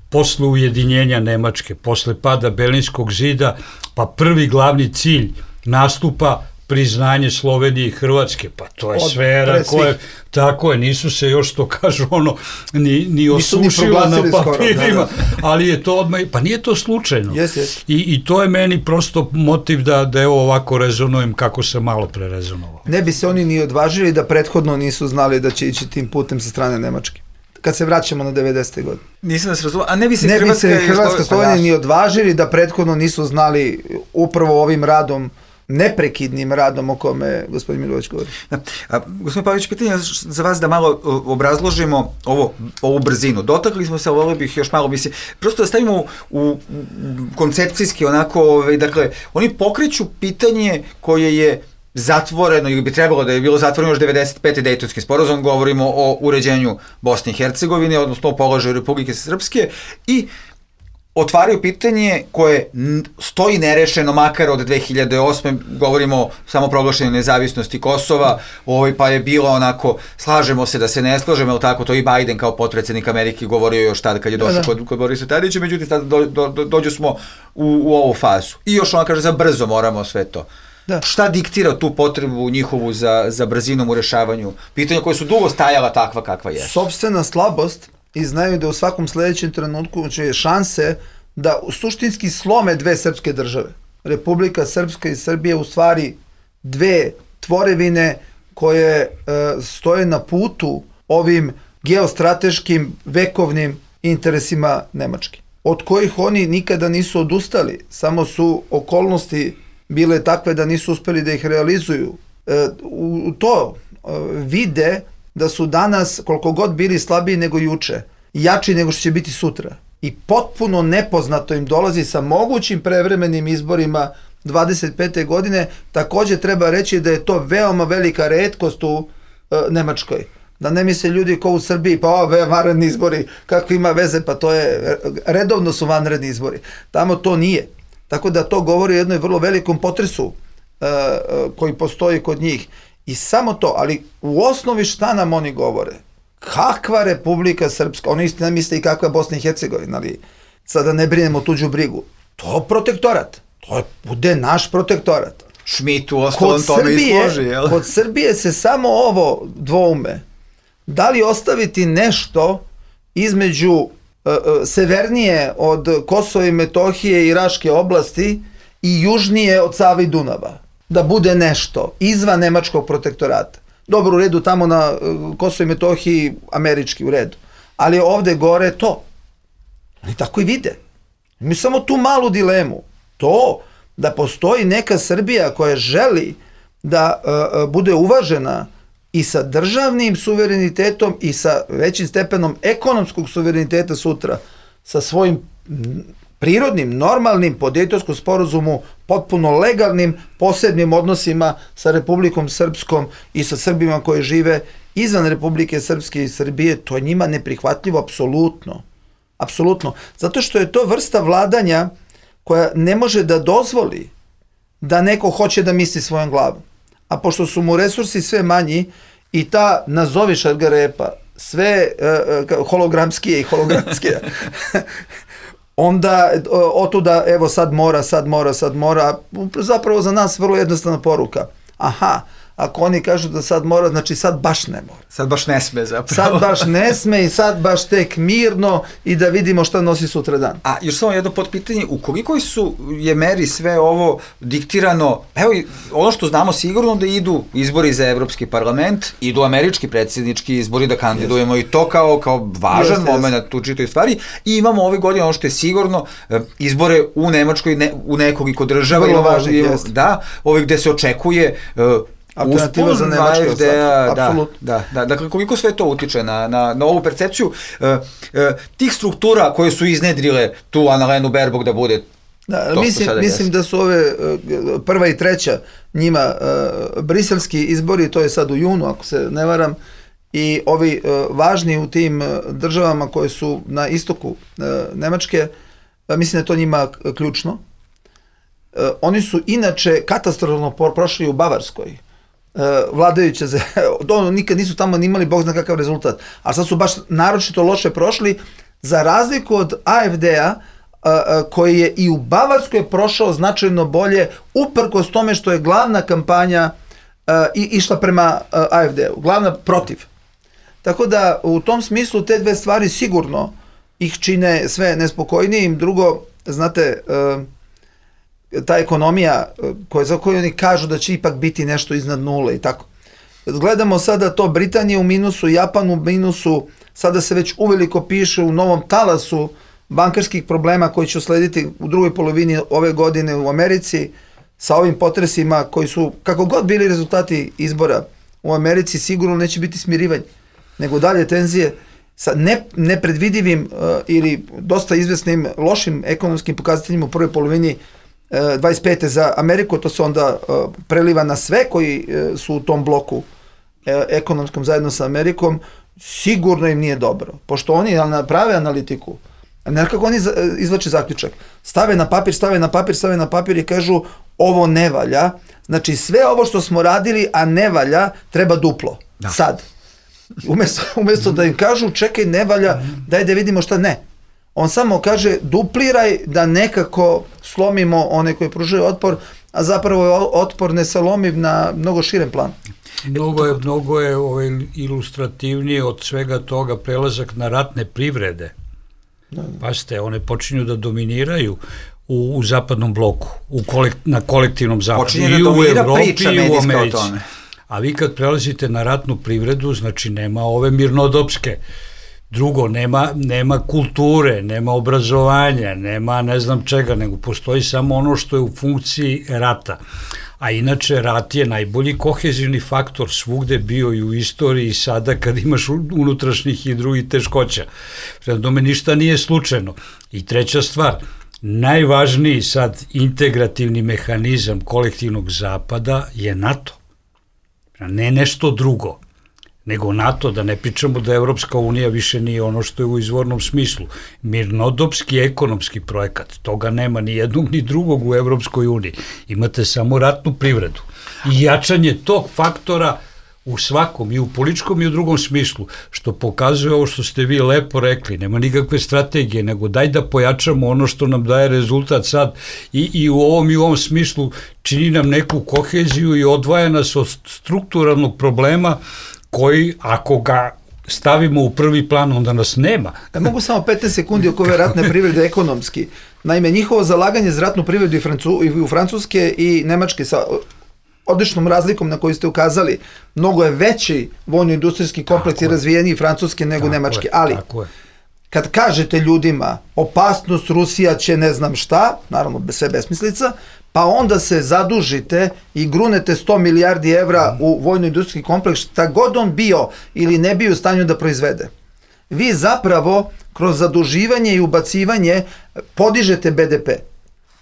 posle ujedinjenja Nemačke, posle pada Berlinskog zida, pa prvi glavni cilj nastupa priznanje Slovenije i Hrvatske, pa to je sfera koja, tako je, nisu se još to kažu ni osušila na papirima, ali je to odmah, pa nije to slučajno. I to je meni prosto motiv da evo ovako rezonujem kako sam malo pre rezonovao. Ne bi se oni ni odvažili da prethodno nisu znali da će ići tim putem sa strane Nemačke. Kad se vraćamo na 90. godine. Nisam da se razumio, a ne bi se Hrvatska Slovenija ni odvažili da prethodno nisu znali upravo ovim radom, neprekidnim radom o kome gospodin Milović govori. Gospodin Pavlić, pitanje za vas da malo obrazložimo ovu brzinu. Dotakli smo se, ali volio bih još malo prosto da stavimo u koncepcijski onako, dakle, oni pokreću pitanje koje je zatvoreno ili bi trebalo da je bilo zatvoreno još 95. Dejtonski sporazum, govorimo o uređenju Bosne i Hercegovine, odnosno o položaju Republike Srpske i otvaraju pitanje koje stoji nerešeno makar od 2008. Govorimo o samoproglašenju nezavisnosti Kosova, pa je bilo onako, slažemo se da se ne slažemo, ali tako, to i Biden kao potpredsednik Amerike govorio još tada kad je došao kod Borisa Tadića, međutim dođu smo u ovu fazu. I još ona kaže za brzo moramo sve to. Šta diktira tu potrebu njihovu za brzinom u rešavanju pitanja koje su dugo stajala takva kakva je? Sopstvena slabost i znaju da u svakom sledećem trenutku će šanse da suštinski slome dve srpske države. Republika Srpska i Srbija u stvari dve tvorevine koje stoje na putu ovim geostrateškim vekovnim interesima Nemačke, od kojih oni nikada nisu odustali, samo su okolnosti bile takve da nisu uspeli da ih realizuju. U to vide da su danas, koliko god bili slabiji nego juče, jači nego što će biti sutra. I potpuno nepoznato im dolazi sa mogućim prevremenim izborima 25. godine. Takođe treba reći da je to veoma velika retkost u Nemačkoj. Da ne misle ljudi ko u Srbiji, pa vanredni izbori, kako ima veze, pa to je, redovno su vanredni izbori. Tamo to nije. Tako da to govori o jednoj vrlo velikom potresu koji postoji kod njih. I samo to, ali u osnovi šta nam oni govore? Kakva Republika Srpska, oni isto ne misle i kakva Bosna i Hercegovina, ali sada ne brinemo tuđu brigu. To protektorat, to bude naš protektorat. Schmidt u ostalom tome izloži, jel? Kod Srbije se samo ovo dvoume. Da li ostaviti nešto između severnije od Kosova i Metohije i Raške oblasti i južnije od Save i Dunava? Da bude nešto izvan nemačkog protektorata. dobro u redu tamo na Kosovo i Metohiji, američki u redu. Ali ovde gore to. Oni tako i vide. Mi samo tu malu dilemu. To da postoji neka Srbija koja želi da bude uvažena i sa državnim suverenitetom i sa većim stepenom ekonomskog suvereniteta sutra, sa svojim prirodnim, normalnim, po Dejtonskom sporazumu, potpuno legalnim, posebnim odnosima sa Republikom Srpskom i sa Srbima koji žive izvan Republike Srpske i Srbije, to je njima neprihvatljivo, apsolutno. Apsolutno. Zato što je to vrsta vladanja koja ne može da dozvoli da neko hoće da misli svojom glavom. A pošto su mu resursi sve manji i ta, nazovi šargarepa, sve hologramskije i hologramskije, onda otuda, evo sad mora, zapravo za nas vrlo jednostavna poruka. Aha, ako oni kažu da sad mora, znači sad baš ne mora. Sad baš ne sme zapravo. Sad baš ne sme i sad baš tek mirno i da vidimo šta nosi sutra dan. A još samo jedno potpitanje, u koliko je meri sve ovo diktirano, evo ono što znamo sigurno da idu izbori za Evropski parlament, idu američki predsjednički izbori da kandidujemo i to kao važan moment u čitoj stvari i imamo ove godine ono što je sigurno izbore u Nemačkoj, u nekoliko država. Vrlo važnih, da, gde se očekuje alternativa za Nemačku, da. Dakle, koliko sve to utiče na ovu percepciju tih struktura koje su iznedrile tu Annalenu Baerbock da bude mislim da su ove prva i treća njima briselski izbori, to je sad u junu, ako se ne varam, i ovi važni u tim državama koje su na istoku Nemačke, mislim da je to njima ključno. Oni su inače katastrofalno prošli u Bavarskoj. Vladajuće, nikad nisu tamo imali bog zna kakav rezultat, ali sad su baš naročito loše prošli, za razliku od AfD-a, koji je i u Bavarskoj prošao značajno bolje, uprkos tome što je glavna kampanja išla prema AfD-u, glavna protiv. Tako da u tom smislu te dve stvari sigurno ih čine sve nespokojnijim. Drugo, znate, ta ekonomija za koju oni kažu da će ipak biti nešto iznad nule i tako. Gledamo sada to Britanije u minusu, Japan u minusu, sada se već uveliko piše u novom talasu bankarskih problema koji će uslediti u drugoj polovini ove godine u Americi sa ovim potresima koji su, kako god bili rezultati izbora u Americi, sigurno neće biti smirivanje, nego dalje tenzije sa nepredvidivim ili dosta izvesnim lošim ekonomskim pokazateljima u prvoj polovini 25. za Ameriku, to se onda preliva na sve koji su u tom bloku ekonomskom zajedno sa Amerikom, sigurno im nije dobro. Pošto oni naprave analitiku, nekako oni izvlače zaključak, stave na papir i kažu ovo ne valja, znači sve ovo što smo radili, a ne valja, treba duplo, sad. Umjesto da im kažu čekaj ne valja, daj da vidimo šta ne. On samo kaže dupliraj da nekako slomimo one koji pružaju otpor, a zapravo je otpor nesalomljiv na mnogo širem planu. Mnogo je ilustrativnije od svega toga prelazak na ratne privrede. Pazite, one počinju da dominiraju u zapadnom bloku, na kolektivnom zapadu, i u Evropi i u Americi. A vi kad prelazite na ratnu privredu, znači nema ove mirnodopske. Drugo, nema kulture, nema obrazovanja, nema ne znam čega, nego postoji samo ono što je u funkciji rata. A inače, rat je najbolji kohezivni faktor svugde bio i u istoriji i sada kad imaš unutrašnjih i drugih teškoća. Prema tome, ništa nije slučajno. I treća stvar, najvažniji sad integrativni mehanizam kolektivnog zapada je NATO. Ne nešto drugo, nego NATO, da ne pričamo da Evropska unija više nije ono što je u izvornom smislu. Mirnodopski ekonomski projekat, toga nema ni jednog ni drugog u Evropskoj uniji. Imate samo ratnu privredu. I jačanje tog faktora u svakom, i u političkom i u drugom smislu, što pokazuje ovo što ste vi lepo rekli, nema nikakve strategije, nego daj da pojačamo ono što nam daje rezultat sad i u ovom smislu čini nam neku koheziju i odvaja nas od strukturalnog problema koji, ako ga stavimo u prvi plan, onda nas nema. Mogu samo 15 sekundi oko ove ratne privrede ekonomski. Naime, njihovo zalaganje za ratnu privredu i u Francuske i Nemačke odličnom razlikom na koju ste ukazali, mnogo je veći vojno-industrijski kompleks i razvijeniji Francuske nego Nemačke. Ali, kad kažete ljudima opasnost, Rusija će ne znam šta, naravno sve besmislica, pa onda se zadužite i grunete 100 milijardi evra u vojno-industrijski kompleks, šta god on bio ili ne bio u stanju da proizvede. Vi zapravo kroz zaduživanje i ubacivanje podižete BDP.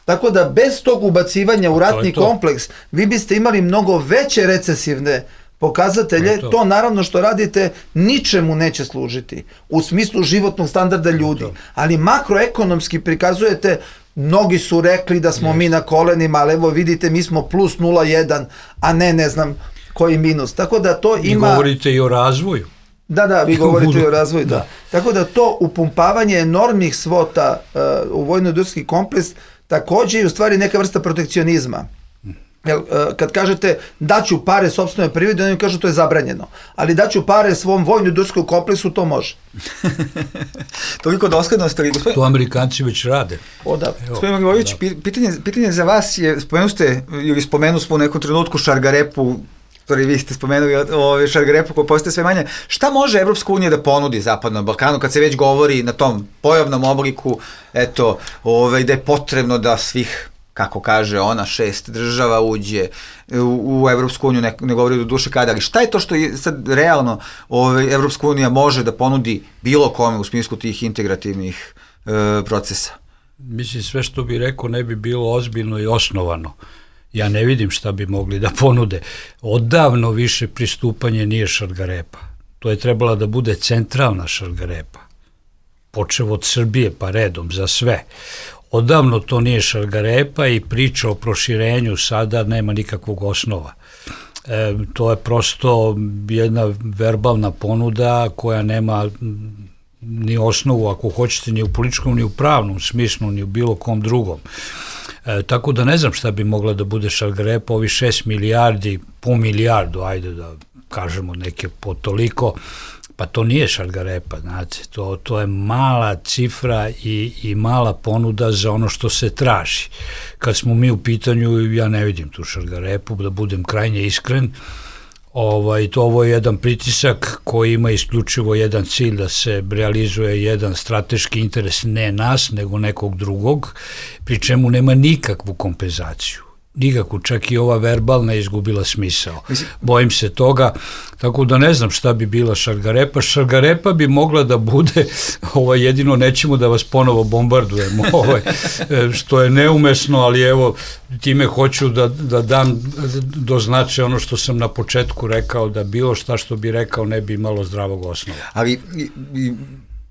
Tako da bez tog ubacivanja u ratni kompleks vi biste imali mnogo veće recesivne pokazatelje, to naravno što radite ničemu neće služiti u smislu životnog standarda ljudi, ali makroekonomski prikazujete, mnogi su rekli da smo mi na kolenima, ali evo vidite mi smo plus 0,1, a ne znam koji minus, tako da to ima... Vi govorite i o razvoju. Da, vi govorite i o razvoju, da. Tako da to upumpavanje enormnih svota u vojno-industrijski kompleks takođe je u stvari neka vrsta protekcionizma. Kad kažete daću pare sopstvenoj privredi, oni kažu to je zabranjeno, ali daću pare svom vojno-industrijskom kompleksu, to može. Toliko doslednosti. To Amerikanci već rade. Gospodin Milivojević, pitanje za vas je, spomenu smo u nekom trenutku Šargarepu, vi ste spomenuli Šargarepu koja postaje sve manje. Šta može Evropska unija da ponudi Zapadnom Balkanu kad se već govori na tom pojavnom obliku, da je potrebno da svih, kako kaže ona, 6 država uđe u Evropsku uniju, ne govori do duše kada, ali šta je to što je sad realno Evropska unija može da ponudi bilo kome u smislu tih integrativnih procesa? Mislim, sve što bi rekao ne bi bilo ozbiljno i osnovano. Ja ne vidim šta bi mogli da ponude. Odavno više pristupanje nije Šargarepa. To je trebala da bude centralna Šargarepa. Počev od Srbije pa redom za sve. Odavno to nije Šargarepa i priča o proširenju sada nema nikakvog osnova. To je prosto jedna verbalna ponuda koja nema ni osnovu, ako hoćete, ni u političkom, ni u pravnom smislu, ni u bilo kom drugom. Tako da ne znam šta bi mogla da bude Šargarepa, ovi 6 milijardi, po milijardu, ajde da kažemo neke po toliko, pa to nije Šargarepa, znate, to je mala cifra i mala ponuda za ono što se traži. Kad smo mi u pitanju, ja ne vidim tu Šargarepu, da budem krajnje iskren, ovo je jedan pritisak koji ima isključivo jedan cilj da se realizuje jedan strateški interes ne nas, nego nekog drugog, pri čemu nema nikakvu kompenzaciju. Nikakvu, čak i ova verbalna je izgubila smisao. Bojim se toga, tako da ne znam šta bi bila Šargarepa. Šargarepa bi mogla da bude, jedino nećemo da vas ponovo bombardujemo, što je neumesno, ali evo, time hoću da dam do značaja ono što sam na početku rekao, da bilo šta što bi rekao ne bi imalo zdravog osnova. Ali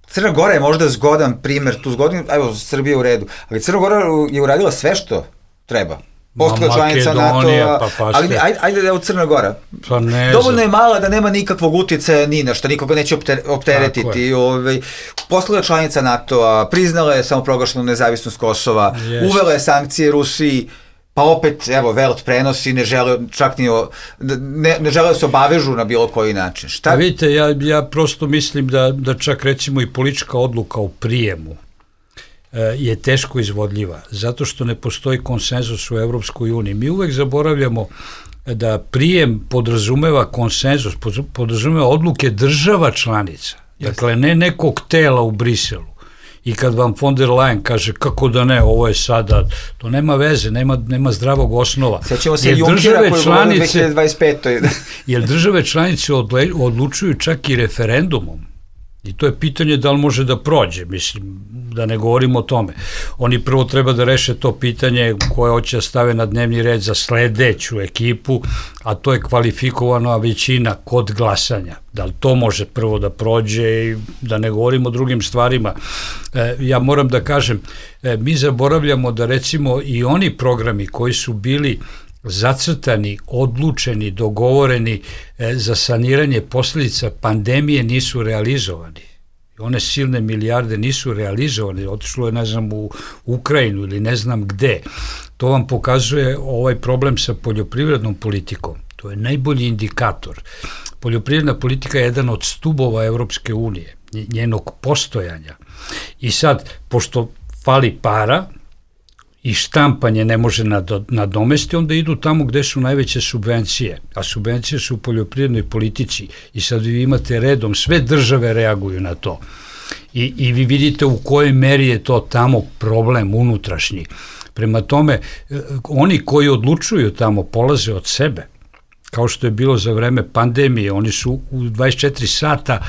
Crna Gora je možda zgodan primer, tu zgodin, evo, Srbija je u redu, ali Crna Gora je uradila sve što treba. Postala članica NATO-a, ali ajde da je u Crna Gora. Dovoljno je mala da nema nikakvog utjecaja ni na što, nikoga neće opteretiti. Postala članica NATO-a, priznala je samoproglašenu nezavisnost Kosova, uvela je sankcije Rusiji, pa opet, evo, Welt prenosi, ne žele čak ni ne žele da se obavežu na bilo koji način. Šta? Vidite, ja prosto mislim da čak recimo i politička odluka u prijemu je teško izvodljiva, zato što ne postoji konsenzus u Evropskoj uniji. Mi uvek zaboravljamo da prijem podrazumeva konsenzus, podrazumeva odluke država članica, dakle ne nekog tela u Briselu. I kad vam von der Leyen kaže kako da ne, ovo je sada, to nema veze, nema zdravog osnova. Sećamo se Junckera koji govori 2025. Jer države članice odlučuju čak i referendumom. I to je pitanje da li može da prođe, mislim, da ne govorimo o tome. Oni prvo treba da reše to pitanje koje hoće da stave na dnevni red za sledeću ekipu, a to je kvalifikovana većina kod glasanja. Da li to može prvo da prođe i da ne govorimo o drugim stvarima. Ja moram da kažem, mi zaboravljamo da recimo i oni programi koji su bili zacrtani, odlučeni, dogovoreni za saniranje posljedica pandemije nisu realizovani. One silne milijarde nisu realizovane, otišlo je, ne znam, u Ukrajinu ili ne znam gde. To vam pokazuje ovaj problem sa poljoprivrednom politikom. To je najbolji indikator. Poljoprivredna politika je jedan od stubova Evropske unije, njenog postojanja. I sad, pošto fali para, i štampanje ne može nadomesti, onda idu tamo gde su najveće subvencije, a subvencije su u poljoprivrednoj politici i sad vi imate redom, sve države reaguju na to i vi vidite u kojoj meri je to tamo problem unutrašnji. Prema tome, oni koji odlučuju tamo polaze od sebe, kao što je bilo za vreme pandemije, oni su u 24 sata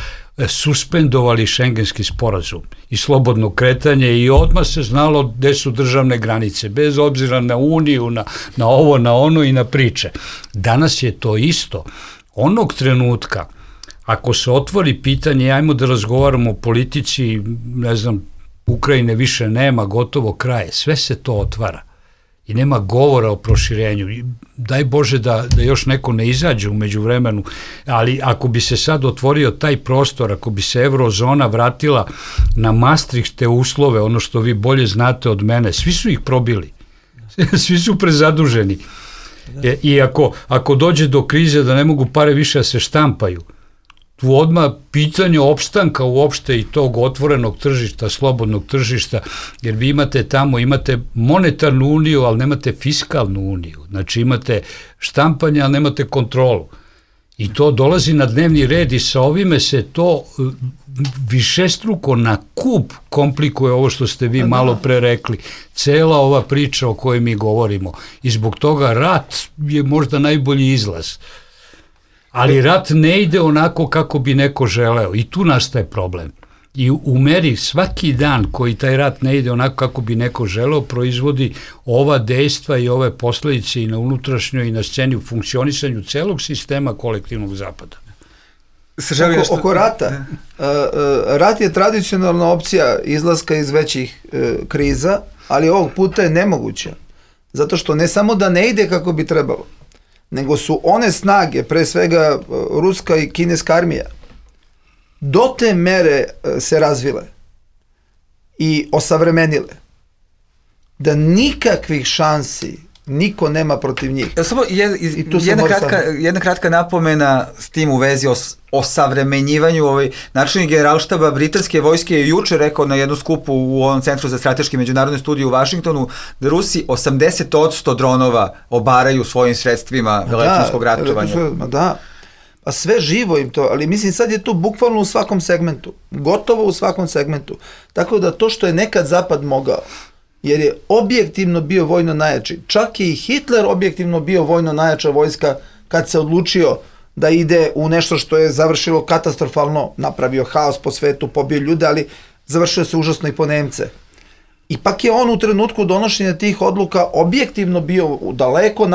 suspendovali šengenski sporazum i slobodno kretanje i odmah se znalo gde su državne granice, bez obzira na Uniju, na ovo, na ono i na priče. Danas je to isto. Onog trenutka, ako se otvori pitanje, ajmo da razgovaramo o politici, ne znam, Ukrajine više nema, gotovo kraje, sve se to otvara. I nema govora o proširenju. Daj Bože da još neko ne izađe u međuvremenu, ali ako bi se sad otvorio taj prostor, ako bi se eurozona vratila na Maastrichtske uslove, ono što vi bolje znate od mene, svi su ih probili. Svi su prezaduženi. I ako dođe do krize da ne mogu pare više da se štampaju, tu odmah pitanje opstanka uopšte i tog otvorenog tržišta, slobodnog tržišta, jer vi imate tamo, imate monetarnu uniju, ali nemate fiskalnu uniju. Znači imate štampanje, ali nemate kontrolu. I to dolazi na dnevni red i sa ovime se to višestruko na kup komplikuje ovo što ste vi malo pre rekli. Cela ova priča o kojoj mi govorimo. I zbog toga rat je možda najbolji izlaz. Ali rat ne ide onako kako bi neko želeo i tu nastaje problem. I u meri svaki dan koji taj rat ne ide onako kako bi neko želeo, proizvodi ova dejstva i ove posledice i na unutrašnjoj i na sceni u funkcionisanju celog sistema kolektivnog zapada. Oko rata. Rat je tradicionalna opcija izlaska iz većih kriza, ali ovog puta je nemoguća. Zato što ne samo da ne ide kako bi trebalo, nego su one snage, pre svega ruska i kineska armija, do te mere se razvile i osavremenile, da nikakvih šansi niko nema protiv njih. Samo jedna kratka napomena s tim u vezi o savremenjivanju. Načelnik generalštaba britanske vojske je juče rekao na jednu skupu u ovom Centru za strateške međunarodne studije u Vašingtonu da Rusi 80% dronova obaraju svojim sredstvima elektronskog ratovanja. Da, pa sve živo im to, ali mislim sad je to bukvalno u svakom segmentu, gotovo u svakom segmentu. Tako da to što je nekad Zapad mogao, jer je objektivno bio vojno najjači. Čak je i Hitler objektivno bio vojno najjača vojska kad se odlučio da ide u nešto što je završilo katastrofalno, napravio haos po svetu, pobio ljude, ali završio se užasno i po Nemce. Ipak je on u trenutku donošenja tih odluka objektivno bio daleko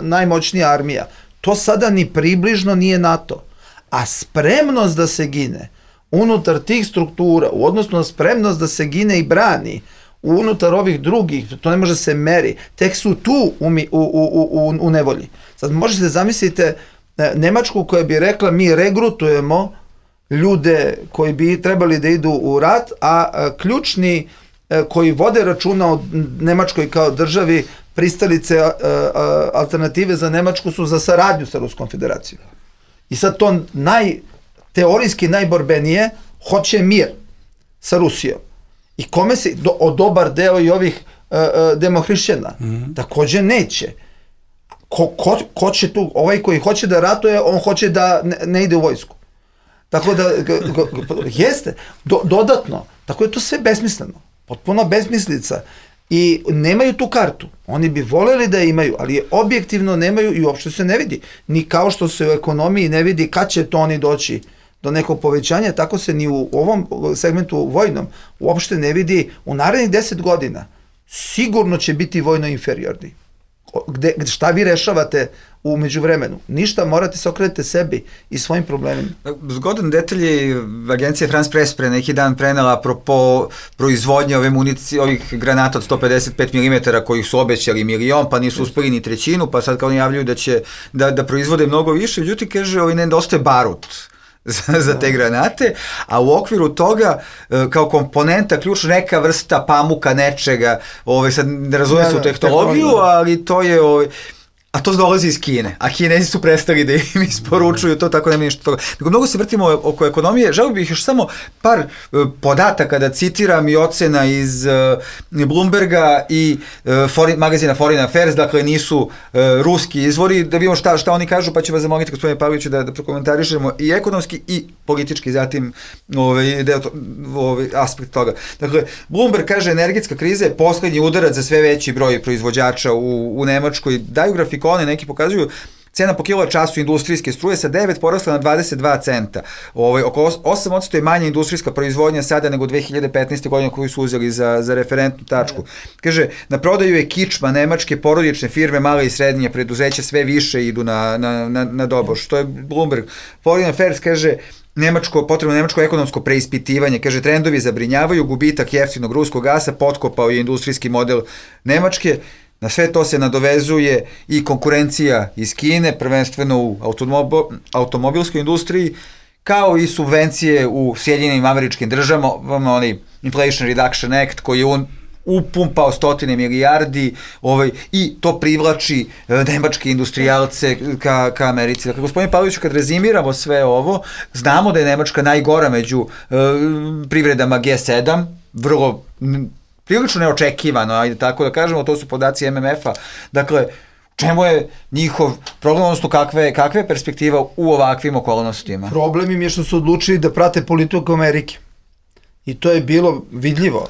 najmoćnija armija. To sada ni približno nije NATO. A spremnost da se gine unutar tih struktura, u odnosu na spremnost da se gine i brani, unutar ovih drugih, to ne može se meri, tek su tu u nevolji. Sad možete zamislite Nemačku koja bi rekla mi regrutujemo ljude koji bi trebali da idu u rat, a ključni koji vode računa o Nemačkoj kao državi, pristalice alternative za Nemačku su za saradnju sa Ruskom federacijom. I sad to teorijski najborbenije hoće mir sa Rusijom. I kome se, dobar deo i ovih demohrišćana, takođe neće. Ko će tu, ovaj koji hoće da ratuje, on hoće da ne ide u vojsku. Tako da, jeste, dodatno, tako je to sve besmisleno, potpuno besmislica. I nemaju tu kartu, oni bi voljeli da imaju, ali objektivno nemaju i uopšte se ne vidi. Ni kao što se u ekonomiji ne vidi kad će to oni doći do nekog povećanja, tako se ni u ovom segmentu vojnom uopšte ne vidi u narednih 10 godina. Sigurno će biti vojno inferiorni. Šta vi rešavate u međuvremenu? Ništa, morate se okrenete sebi i svojim problemima. Zgodan detalj je agencija France Press pre neki dan prenela apropo proizvodnje ove municije, ovih granata od 155 mm kojih su obećali 1 milion, pa nisu uspeli ni trećinu, pa sad kao najavljuju da će da proizvode mnogo više. Međutim, kaže, nedostaje barut za te granate, a u okviru toga kao komponenta ključ neka vrsta pamuka nečega, sad ne razume se u tehnologiju, ali to je a to dolazi iz Kine, a Kinezi su prestali da im isporučuju to, tako nema ništa toga. Nego mnogo se vrtimo oko ekonomije, želio bih još samo par podataka da citiram i ocena iz Bloomberga i magazina Foreign Affairs, dakle nisu ruski izvori, da vidimo šta oni kažu, pa ću vas zamoliti, gospodine Pavloviću, da prokomentarišemo i ekonomski i politički, zatim aspekt toga. Dakle, Bloomberg kaže, energetska kriza je poslednji udarac za sve veći broj proizvođača u Nemačkoj. Daju grafikone, neki pokazuju cena po kilovat-času industrijske struje sa 9 porasla na 22 centa. Oko 8% je manja industrijska proizvodnja sada nego 2015. godine koju su uzeli za referentnu tačku. Kaže, na prodaju je kičma, nemačke porodične firme, male i srednje preduzeća sve više idu na doboš. To je Bloomberg. Foreign Affairs kaže, potrebno nemačko ekonomsko preispitivanje, kaže, trendovi zabrinjavaju, gubitak jeftinog ruskog gasa potkopao je industrijski model Nemačke. Na sve to se nadovezuje i konkurencija iz Kine, prvenstveno u automobilskoj industriji, kao i subvencije u Sjedinjenim Američkim Državama, onaj Inflation Reduction Act koji je upumpao 100 milijardi i to privlači nemačke industrijalce ka Americi. Dakle, gospodin Pavloviću, kad rezimiramo sve ovo, znamo da je Nemačka najgora među privredama G7, vrlo prilično neočekivano, ajde tako da kažemo, to su podaci MMF-a. Dakle, čemu je njihov problem, odnosno kakva je perspektiva u ovakvim okolnostima? Problem im je što su odlučili da prate politiku Amerike. I to je bilo vidljivo.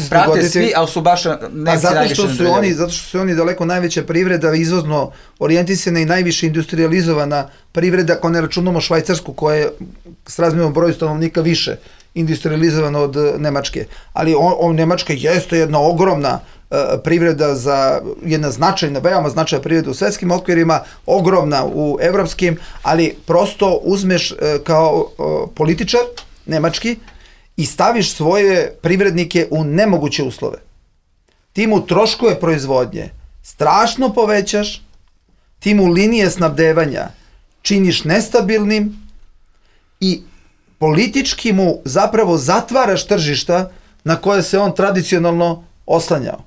Prate svi, ali su baš Nemci najviše nadreljali. Zato što su oni daleko najveća privreda, izvozno orijentisana i najviše industrializovana privreda, ako ne računamo Švajcarsku, koja je s razmjernom broju stanovnika više industrializovana od Nemačke. Ali Nemačka jeste jedna ogromna privreda, jedna značajna, veoma značajna privreda u svetskim okvirima, ogromna u evropskim, ali prosto uzmeš kao političar nemački i staviš svoje privrednike u nemoguće uslove. Ti mu troškove proizvodnje strašno povećaš, ti mu linije snabdevanja činiš nestabilnim i politički mu zapravo zatvaraš tržišta na koje se on tradicionalno oslanjao.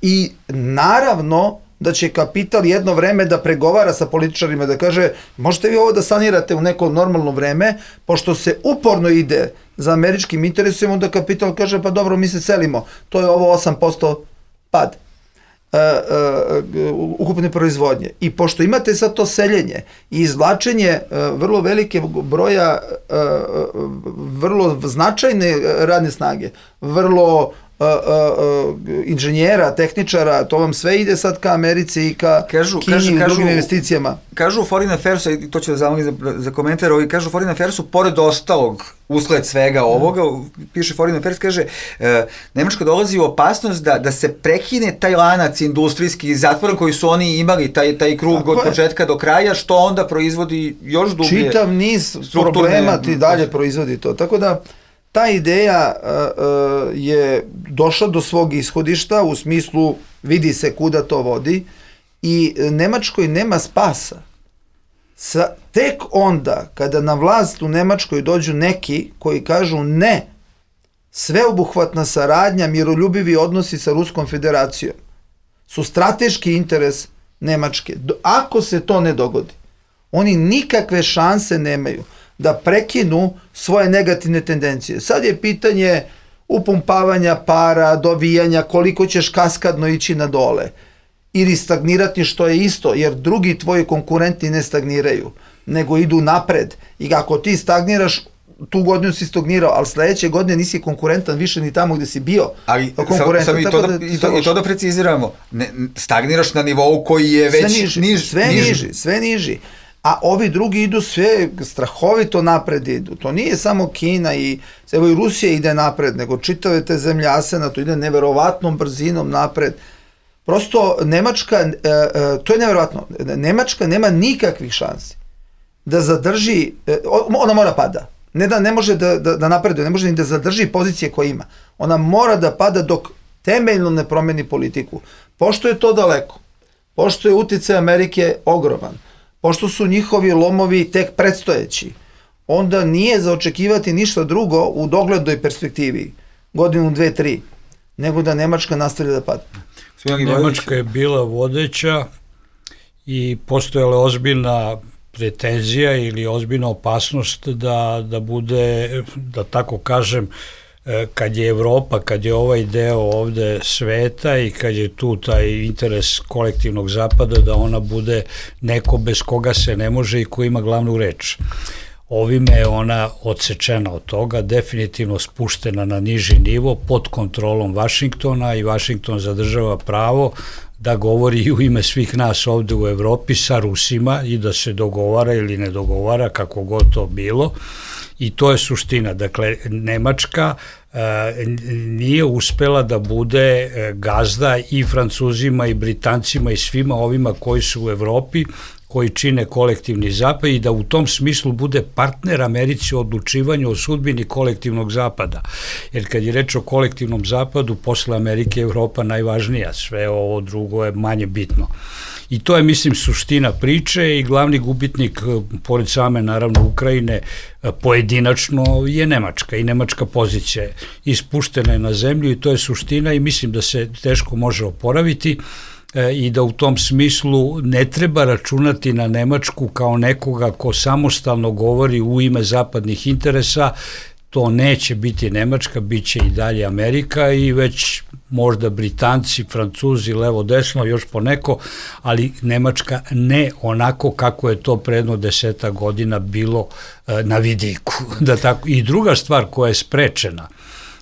I naravno da će kapital jedno vreme da pregovara sa političarima, da kaže, možete vi ovo da sanirate u neko normalno vreme, pošto se uporno ide za američkim interesima, onda kapital kaže, pa dobro, mi se selimo, to je ovo 8% pad ukupne proizvodnje. I pošto imate sad to seljenje i izvlačenje vrlo velike broja vrlo značajne radne snage, vrlo inženjera, tehničara, to vam sve ide sad ka Americi i ka Kini i drugim investicijama. Kažu u Foreign Affairsu, i to ću da zamolim za komentar, kažu u Foreign Affairsu, pored ostalog, usled svega ovoga, piše Foreign Affairs, kaže, Nemačka dolazi u opasnost da se prekine taj lanac industrijski zatvoren koji su oni imali, taj krug od početka do kraja, što onda proizvodi još dublje. Čitav niz problema ti dalje proizvodi to. Tako da, ta ideja je došla do svog ishodišta, u smislu vidi se kuda to vodi i Nemačkoj nema spasa. Tek onda kada na vlast u Nemačkoj dođu neki koji kažu ne, sveobuhvatna saradnja, miroljubivi odnosi sa Ruskom federacijom su strateški interes Nemačke. Ako se to ne dogodi, oni nikakve šanse nemaju da prekinu svoje negativne tendencije. Sad je pitanje upumpavanja para, dovijanja, koliko ćeš kaskadno ići na dole ili stagnirati, što je isto, jer drugi tvoji konkurenti ne stagniraju, nego idu napred. I ako ti stagniraš, tu godinu si stagnirao, ali sledeće godine nisi konkurentan više ni tamo gde si bio. Ali i to da preciziramo, stagniraš na nivou koji je već sve niži. A ovi drugi idu sve strahovito napred idu. To nije samo Kina i Rusija ide napred, nego čitave te zemlje ASEAN-a, to ide neverovatnom brzinom napred. Prosto Nemačka, to je neverovatno, Nemačka nema nikakvih šansi da zadrži, ona mora pada. Ne da ne može da napreduje, ne može ni da zadrži pozicije koje ima. Ona mora da pada dok temeljno ne promeni politiku. Pošto je to daleko, pošto je uticaj Amerike ogroman, pošto su njihovi lomovi tek predstojeći, onda nije za očekivati ništa drugo u doglednoj perspektivi, godinu, 2, 3, nego da Nemačka nastavlja da pada. Nemačka je bila vodeća i postojala ozbiljna pretenzija ili ozbiljna opasnost da bude, da tako kažem, kad je Evropa, kad je ovaj deo ovde sveta i kad je tu taj interes kolektivnog zapada, da ona bude neko bez koga se ne može i ko ima glavnu reč. Ovime je ona odsečena od toga, definitivno spuštena na niži nivo pod kontrolom Vašingtona i Vašington zadržava pravo da govori i u ime svih nas ovde u Evropi sa Rusima i da se dogovara ili ne dogovara, kako god to bilo. I to je suština. Dakle, Nemačka nije uspela da bude gazda i Francuzima i Britancima i svima ovima koji su u Evropi, koji čine kolektivni zapad i da u tom smislu bude partner Americi u odlučivanju o sudbini kolektivnog zapada. Jer kad je reč o kolektivnom zapadu, posle Amerike je Evropa najvažnija, sve ovo drugo je manje bitno. I to je, mislim, suština priče i glavni gubitnik, pored same, naravno, Ukrajine, pojedinačno je Nemačka i nemačka pozicija je ispuštena je na zemlju i to je suština i mislim da se teško može oporaviti i da u tom smislu ne treba računati na Nemačku kao nekoga ko samostalno govori u ime zapadnih interesa. To neće biti Nemačka, bit će i dalje Amerika i već možda Britanci, Francuzi, levo, desno, još poneko, ali Nemačka ne onako kako je to predno 10 godina bilo na vidiku. I druga stvar koja je sprečena,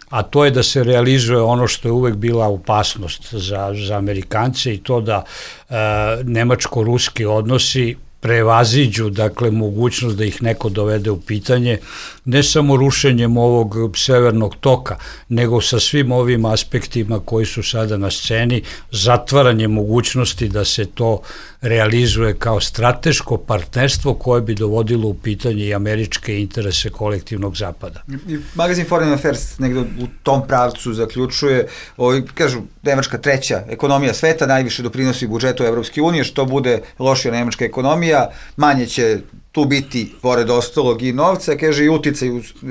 a to je da se realizuje ono što je uvek bila opasnost za Amerikance i to da nemačko-ruski odnosi prevaziđu, dakle, mogućnost da ih neko dovede u pitanje, ne samo rušenjem ovog severnog toka, nego sa svim ovim aspektima koji su sada na sceni, zatvaranje mogućnosti da se to realizuje kao strateško partnerstvo koje bi dovodilo u pitanje i američke interese kolektivnog zapada. Magazin Foreign Affairs negde u tom pravcu zaključuje, kažu, Nemačka treća ekonomija sveta, najviše doprinosi budžetu Evropske unije, što bude lošija nemačka ekonomija, manje će tu biti, pored ostalog, i novca, kaže, i uticaj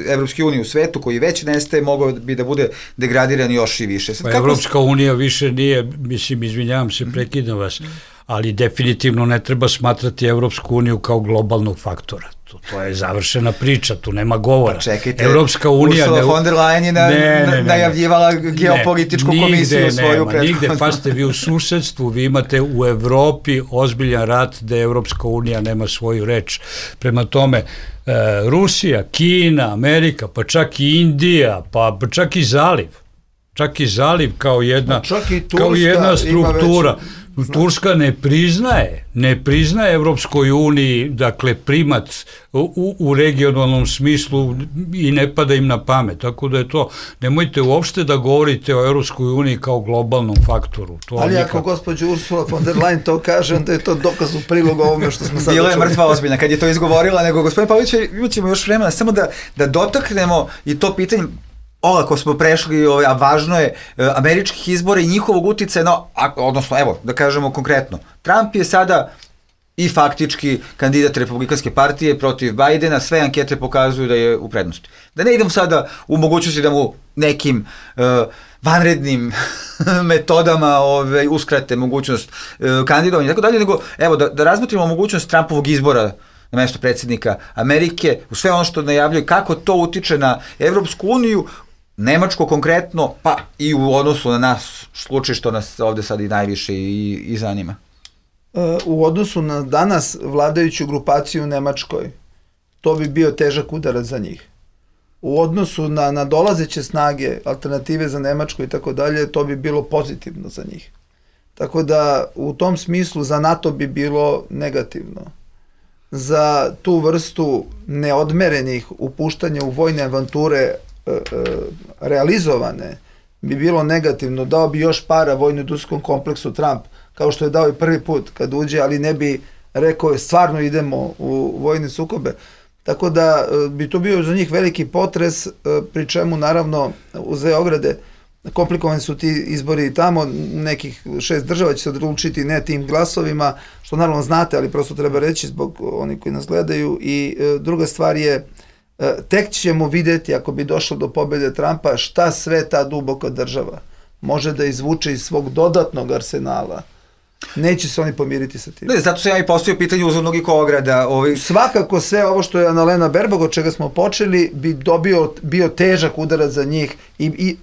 Evropske unije u svetu, koji već nestaje, mogao bi da bude degradiran još i više. Pa Evropska unija više nije, mislim, izvinjavam se, prekidam vas, ali definitivno ne treba smatrati Evropsku uniju kao globalnog faktora. To je završena priča, tu nema govora. Pa čekajte, Evropska unija, Ursula von der Leyen je najavljivala geopolitičku komisiju svoju prethodnu. Nigde, pa ste vi u susedstvu, vi imate u Evropi ozbiljan rat da Evropska unija nema svoju reč. Prema tome, Rusija, Kina, Amerika, pa čak i Indija, pa čak i Zaliv. Čak i Zaliv kao jedna struktura. Turska ne priznaje Evropskoj uniji, dakle, primat u regionalnom smislu i ne pada im na pamet, tako da je to, nemojte uopšte da govorite o Evropskoj uniji kao globalnom faktoru. Ali ako gospođa Ursula von der Leyen to kaže, onda je to dokaz u prilog ovome što smo sad čuli. Bila je mrtva ozbiljna kad je to izgovorila, nego gospodin Pavlović, imat ćemo još vremena, samo da dotaknemo i to pitanje, olako smo prešli, a važno je, američkih izbora i njihovog uticaja, odnosno, evo, da kažemo konkretno, Trump je sada i faktički kandidat Republikanske partije protiv Bajdena, sve ankete pokazuju da je u prednosti. Da ne idem sada u mogućnosti da mu nekim vanrednim metodama uskrate mogućnost kandidovanja i tako dalje, nego, evo, da razmotrimo mogućnost Trumpovog izbora na mesto predsjednika Amerike, u sve ono što najavljuje, kako to utiče na Evropsku uniju, Nemačko konkretno, pa i u odnosu na nas, slučaj što nas ovde sad i najviše i zanima. U odnosu na danas vladajuću grupaciju u Nemačkoj, to bi bio težak udarac za njih. U odnosu na dolazeće snage, alternative za Nemačku i tako dalje, to bi bilo pozitivno za njih. Tako da u tom smislu za NATO bi bilo negativno. Za tu vrstu neodmerenih upuštanja u vojne avanture realizovane bi bilo negativno. Dao bi još para vojno-industrijskom kompleksu Trump, kao što je dao i prvi put kad uđe, ali ne bi rekao stvarno idemo u vojne sukobe. Tako da bi to bio za njih veliki potres, pri čemu naravno uz dve ograde komplikovani su ti izbori tamo, nekih 6 država će se odlučiti ne tim glasovima, što naravno znate, ali prosto treba reći zbog onih koji nas gledaju. I druga stvar je, tek ćemo vidjeti, ako bi došlo do pobjede Trumpa, šta sve ta duboka država može da izvuče iz svog dodatnog arsenala Neće se oni pomiriti sa tim. Ne, zato se ja i postavio pitanje uzvodnog i ograda. Svakako sve ovo što je Annalena Baerbock, od čega smo počeli, bi bio težak udarac za njih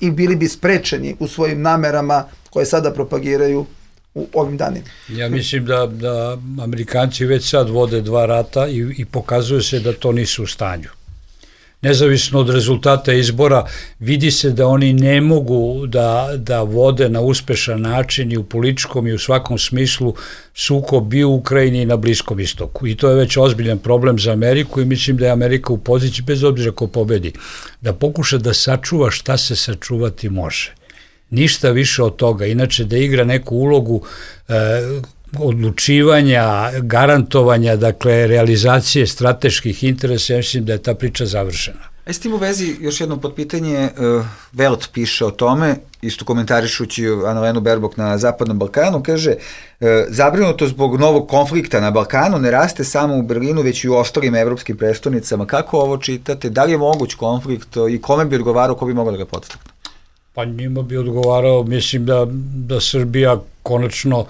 i bili bi sprečeni u svojim namerama koje sada propagiraju u ovim danima. Ja mislim da Amerikanci već sad vode 2 rata i pokazuje se da to nisu u stanju. Nezavisno od rezultata izbora, vidi se da oni ne mogu da vode na uspešan način i u političkom i u svakom smislu sukob i u Ukrajini i na Bliskom istoku. I to je već ozbiljan problem za Ameriku i mislim da je Amerika u poziciji, bez obzira ko pobedi, da pokuša da sačuva šta se sačuvati može. Ništa više od toga. Inače da igra neku ulogu odlučivanja, garantovanja, dakle realizacije strateških interesa, ja mislim da je ta priča završena. S tim u vezi još jedno potpitanje, Welt piše o tome, isto komentarišući Annalenu Baerbock na Zapadnom Balkanu, kaže, zabrinuto zbog novog konflikta na Balkanu ne raste samo u Berlinu, već i u ostalim evropskim prestonicama. Kako ovo čitate? Da li je moguć konflikt i kome bi odgovarao, ko bi mogao da ga podstakne? Pa njima bi odgovarao, mislim da Srbija konačno,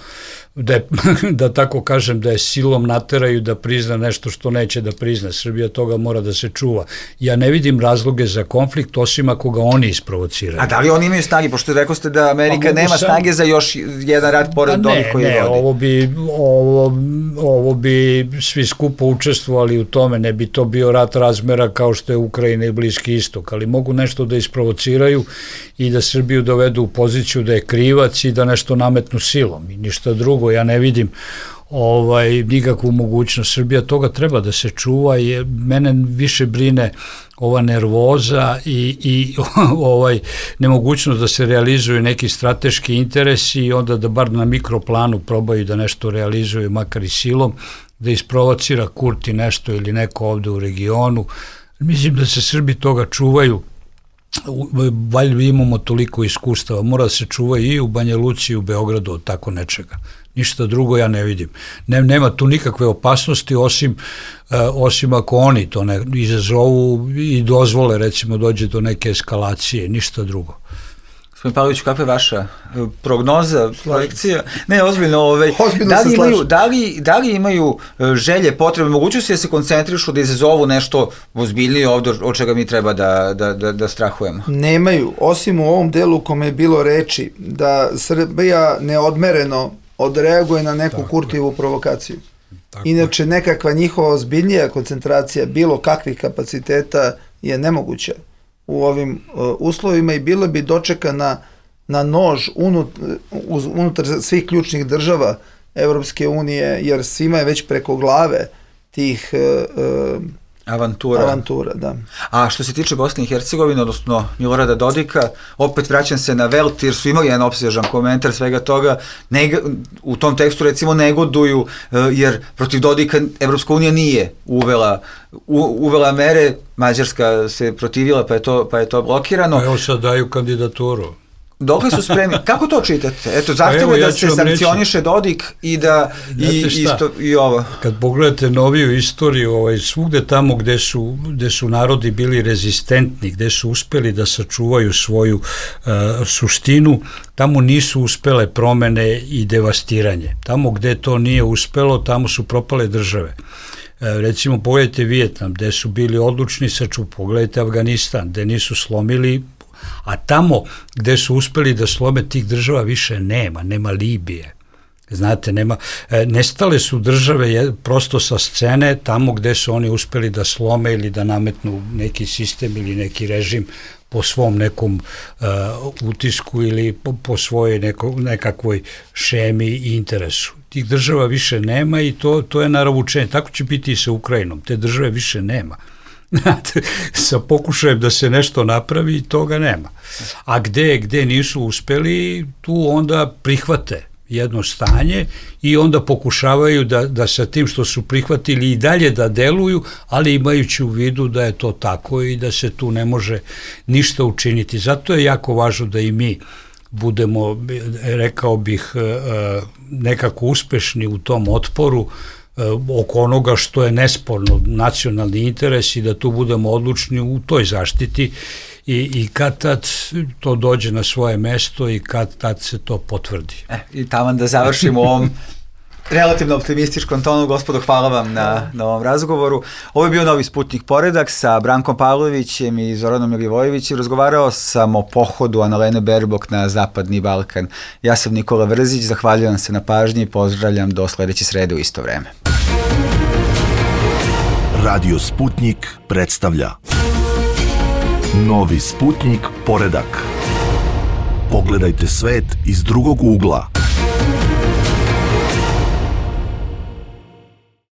da tako kažem, da je silom nateraju da prizna nešto što neće da prizna. Srbija toga mora da se čuva. Ja ne vidim razloge za konflikt, osim ako ga oni isprovociraju. A da li oni imaju snage? Pošto rekao ste da Amerika nema snage za još jedan rat pored onih koji vodi. Ovo bi svi skupo učestvovali u tome, ne bi to bio rat razmera kao što je Ukrajina i Bliski istok, ali mogu nešto da isprovociraju i da Srbiju dovedu u poziciju da je krivac i da nešto nametnu silom i ništa drugo. Ja ne vidim nikakvu mogućnost. Srbija toga treba da se čuva i mene više brine ova nervoza i nemogućnost da se realizuju neki strateški interesi i onda da bar na mikroplanu probaju da nešto realizuju, makar i silom, da isprovocira Kurti nešto ili neko ovde u regionu. Mislim da se Srbi toga čuvaju. Valjda imamo toliko iskustava, mora da se čuva i u Banja Luci i u Beogradu od tako nečega. Ništa drugo ja ne vidim. Nema tu nikakve opasnosti osim ako oni to ne izazovu i dozvole, recimo dođe do neke eskalacije, ništa drugo. Gospodin Pavlović, kakva je vaša prognoza, projekcija? Ne, ozbiljno, da li imaju želje, potrebe, mogućnosti da se koncentrišu, da izazovu nešto ozbiljnije ovdje od čega mi treba da strahujemo? Nemaju, osim u ovom delu u kome je bilo reči da Srbija neodmereno odreaguje na neku Kurtijevu provokaciju. Inače, nekakva njihova ozbiljnija koncentracija bilo kakvih kapaciteta je nemoguća u ovim uslovima i bilo bi dočekana na nož unutar svih ključnih država Evropske unije, jer svima je već preko glave tih avantura, da. A što se tiče Bosne i Hercegovine, odnosno Milorada Dodika, opet vraćam se na Welt, jer su imali jedan opsežan komentar svega toga, u tom tekstu recimo negoduju, jer protiv Dodika Evropska unija nije uvela mere, Mađarska se protivila pa je to blokirano. Evo sad daju kandidaturu. Dokle su spremni? Kako to čitate? Eto, zahtjeva da se sankcioniše Dodik i da i ovo. Kad pogledate noviju istoriju, svugde tamo gde su narodi bili rezistentni, gde su uspeli da sačuvaju svoju suštinu, tamo nisu uspele promene i devastiranje. Tamo gde to nije uspelo, tamo su propale države. Recimo, pogledajte Vijetnam, gde su bili odlučni pogledajte Afganistan, gde nisu slomili, a tamo gde su uspeli da slome tih država više nema Libije. Znate, nestale su države prosto sa scene tamo gde su oni uspeli da slome ili da nametnu neki sistem ili neki režim po svom nekom utisku ili po svojoj nekakvoj šemi i interesu. Tih država više nema i to je naravučenje. Tako će biti i sa Ukrajinom. Te države više nema. Sa pokušajem da se nešto napravi i toga nema. A gde nisu uspeli, tu onda prihvate jedno stanje i onda pokušavaju da sa tim što su prihvatili i dalje da deluju, ali imajući u vidu da je to tako i da se tu ne može ništa učiniti. Zato je jako važno da i mi budemo, rekao bih, nekako uspešni u tom otporu oko onoga što je nesporno nacionalni interes i da tu budemo odlučni u toj zaštiti i kad tad to dođe na svoje mesto i kad tad se to potvrdi. I taman da završimo u ovom relativno optimističkom tonu. Gospodo, hvala vam na ovom razgovoru. Ovo je bio Novi Sputnik Poredak sa Brankom Pavlovićem i Zoranom Milivojevićem. Razgovarao sam o pohodu Annalene Baerbock na Zapadni Balkan. Ja sam Nikola Vrzić, zahvaljujem se na pažnji i pozdravljam do sledeće srede u isto vreme. Radio Sputnik predstavlja Novi Sputnik Poredak. Pogledajte svet iz drugog ugla.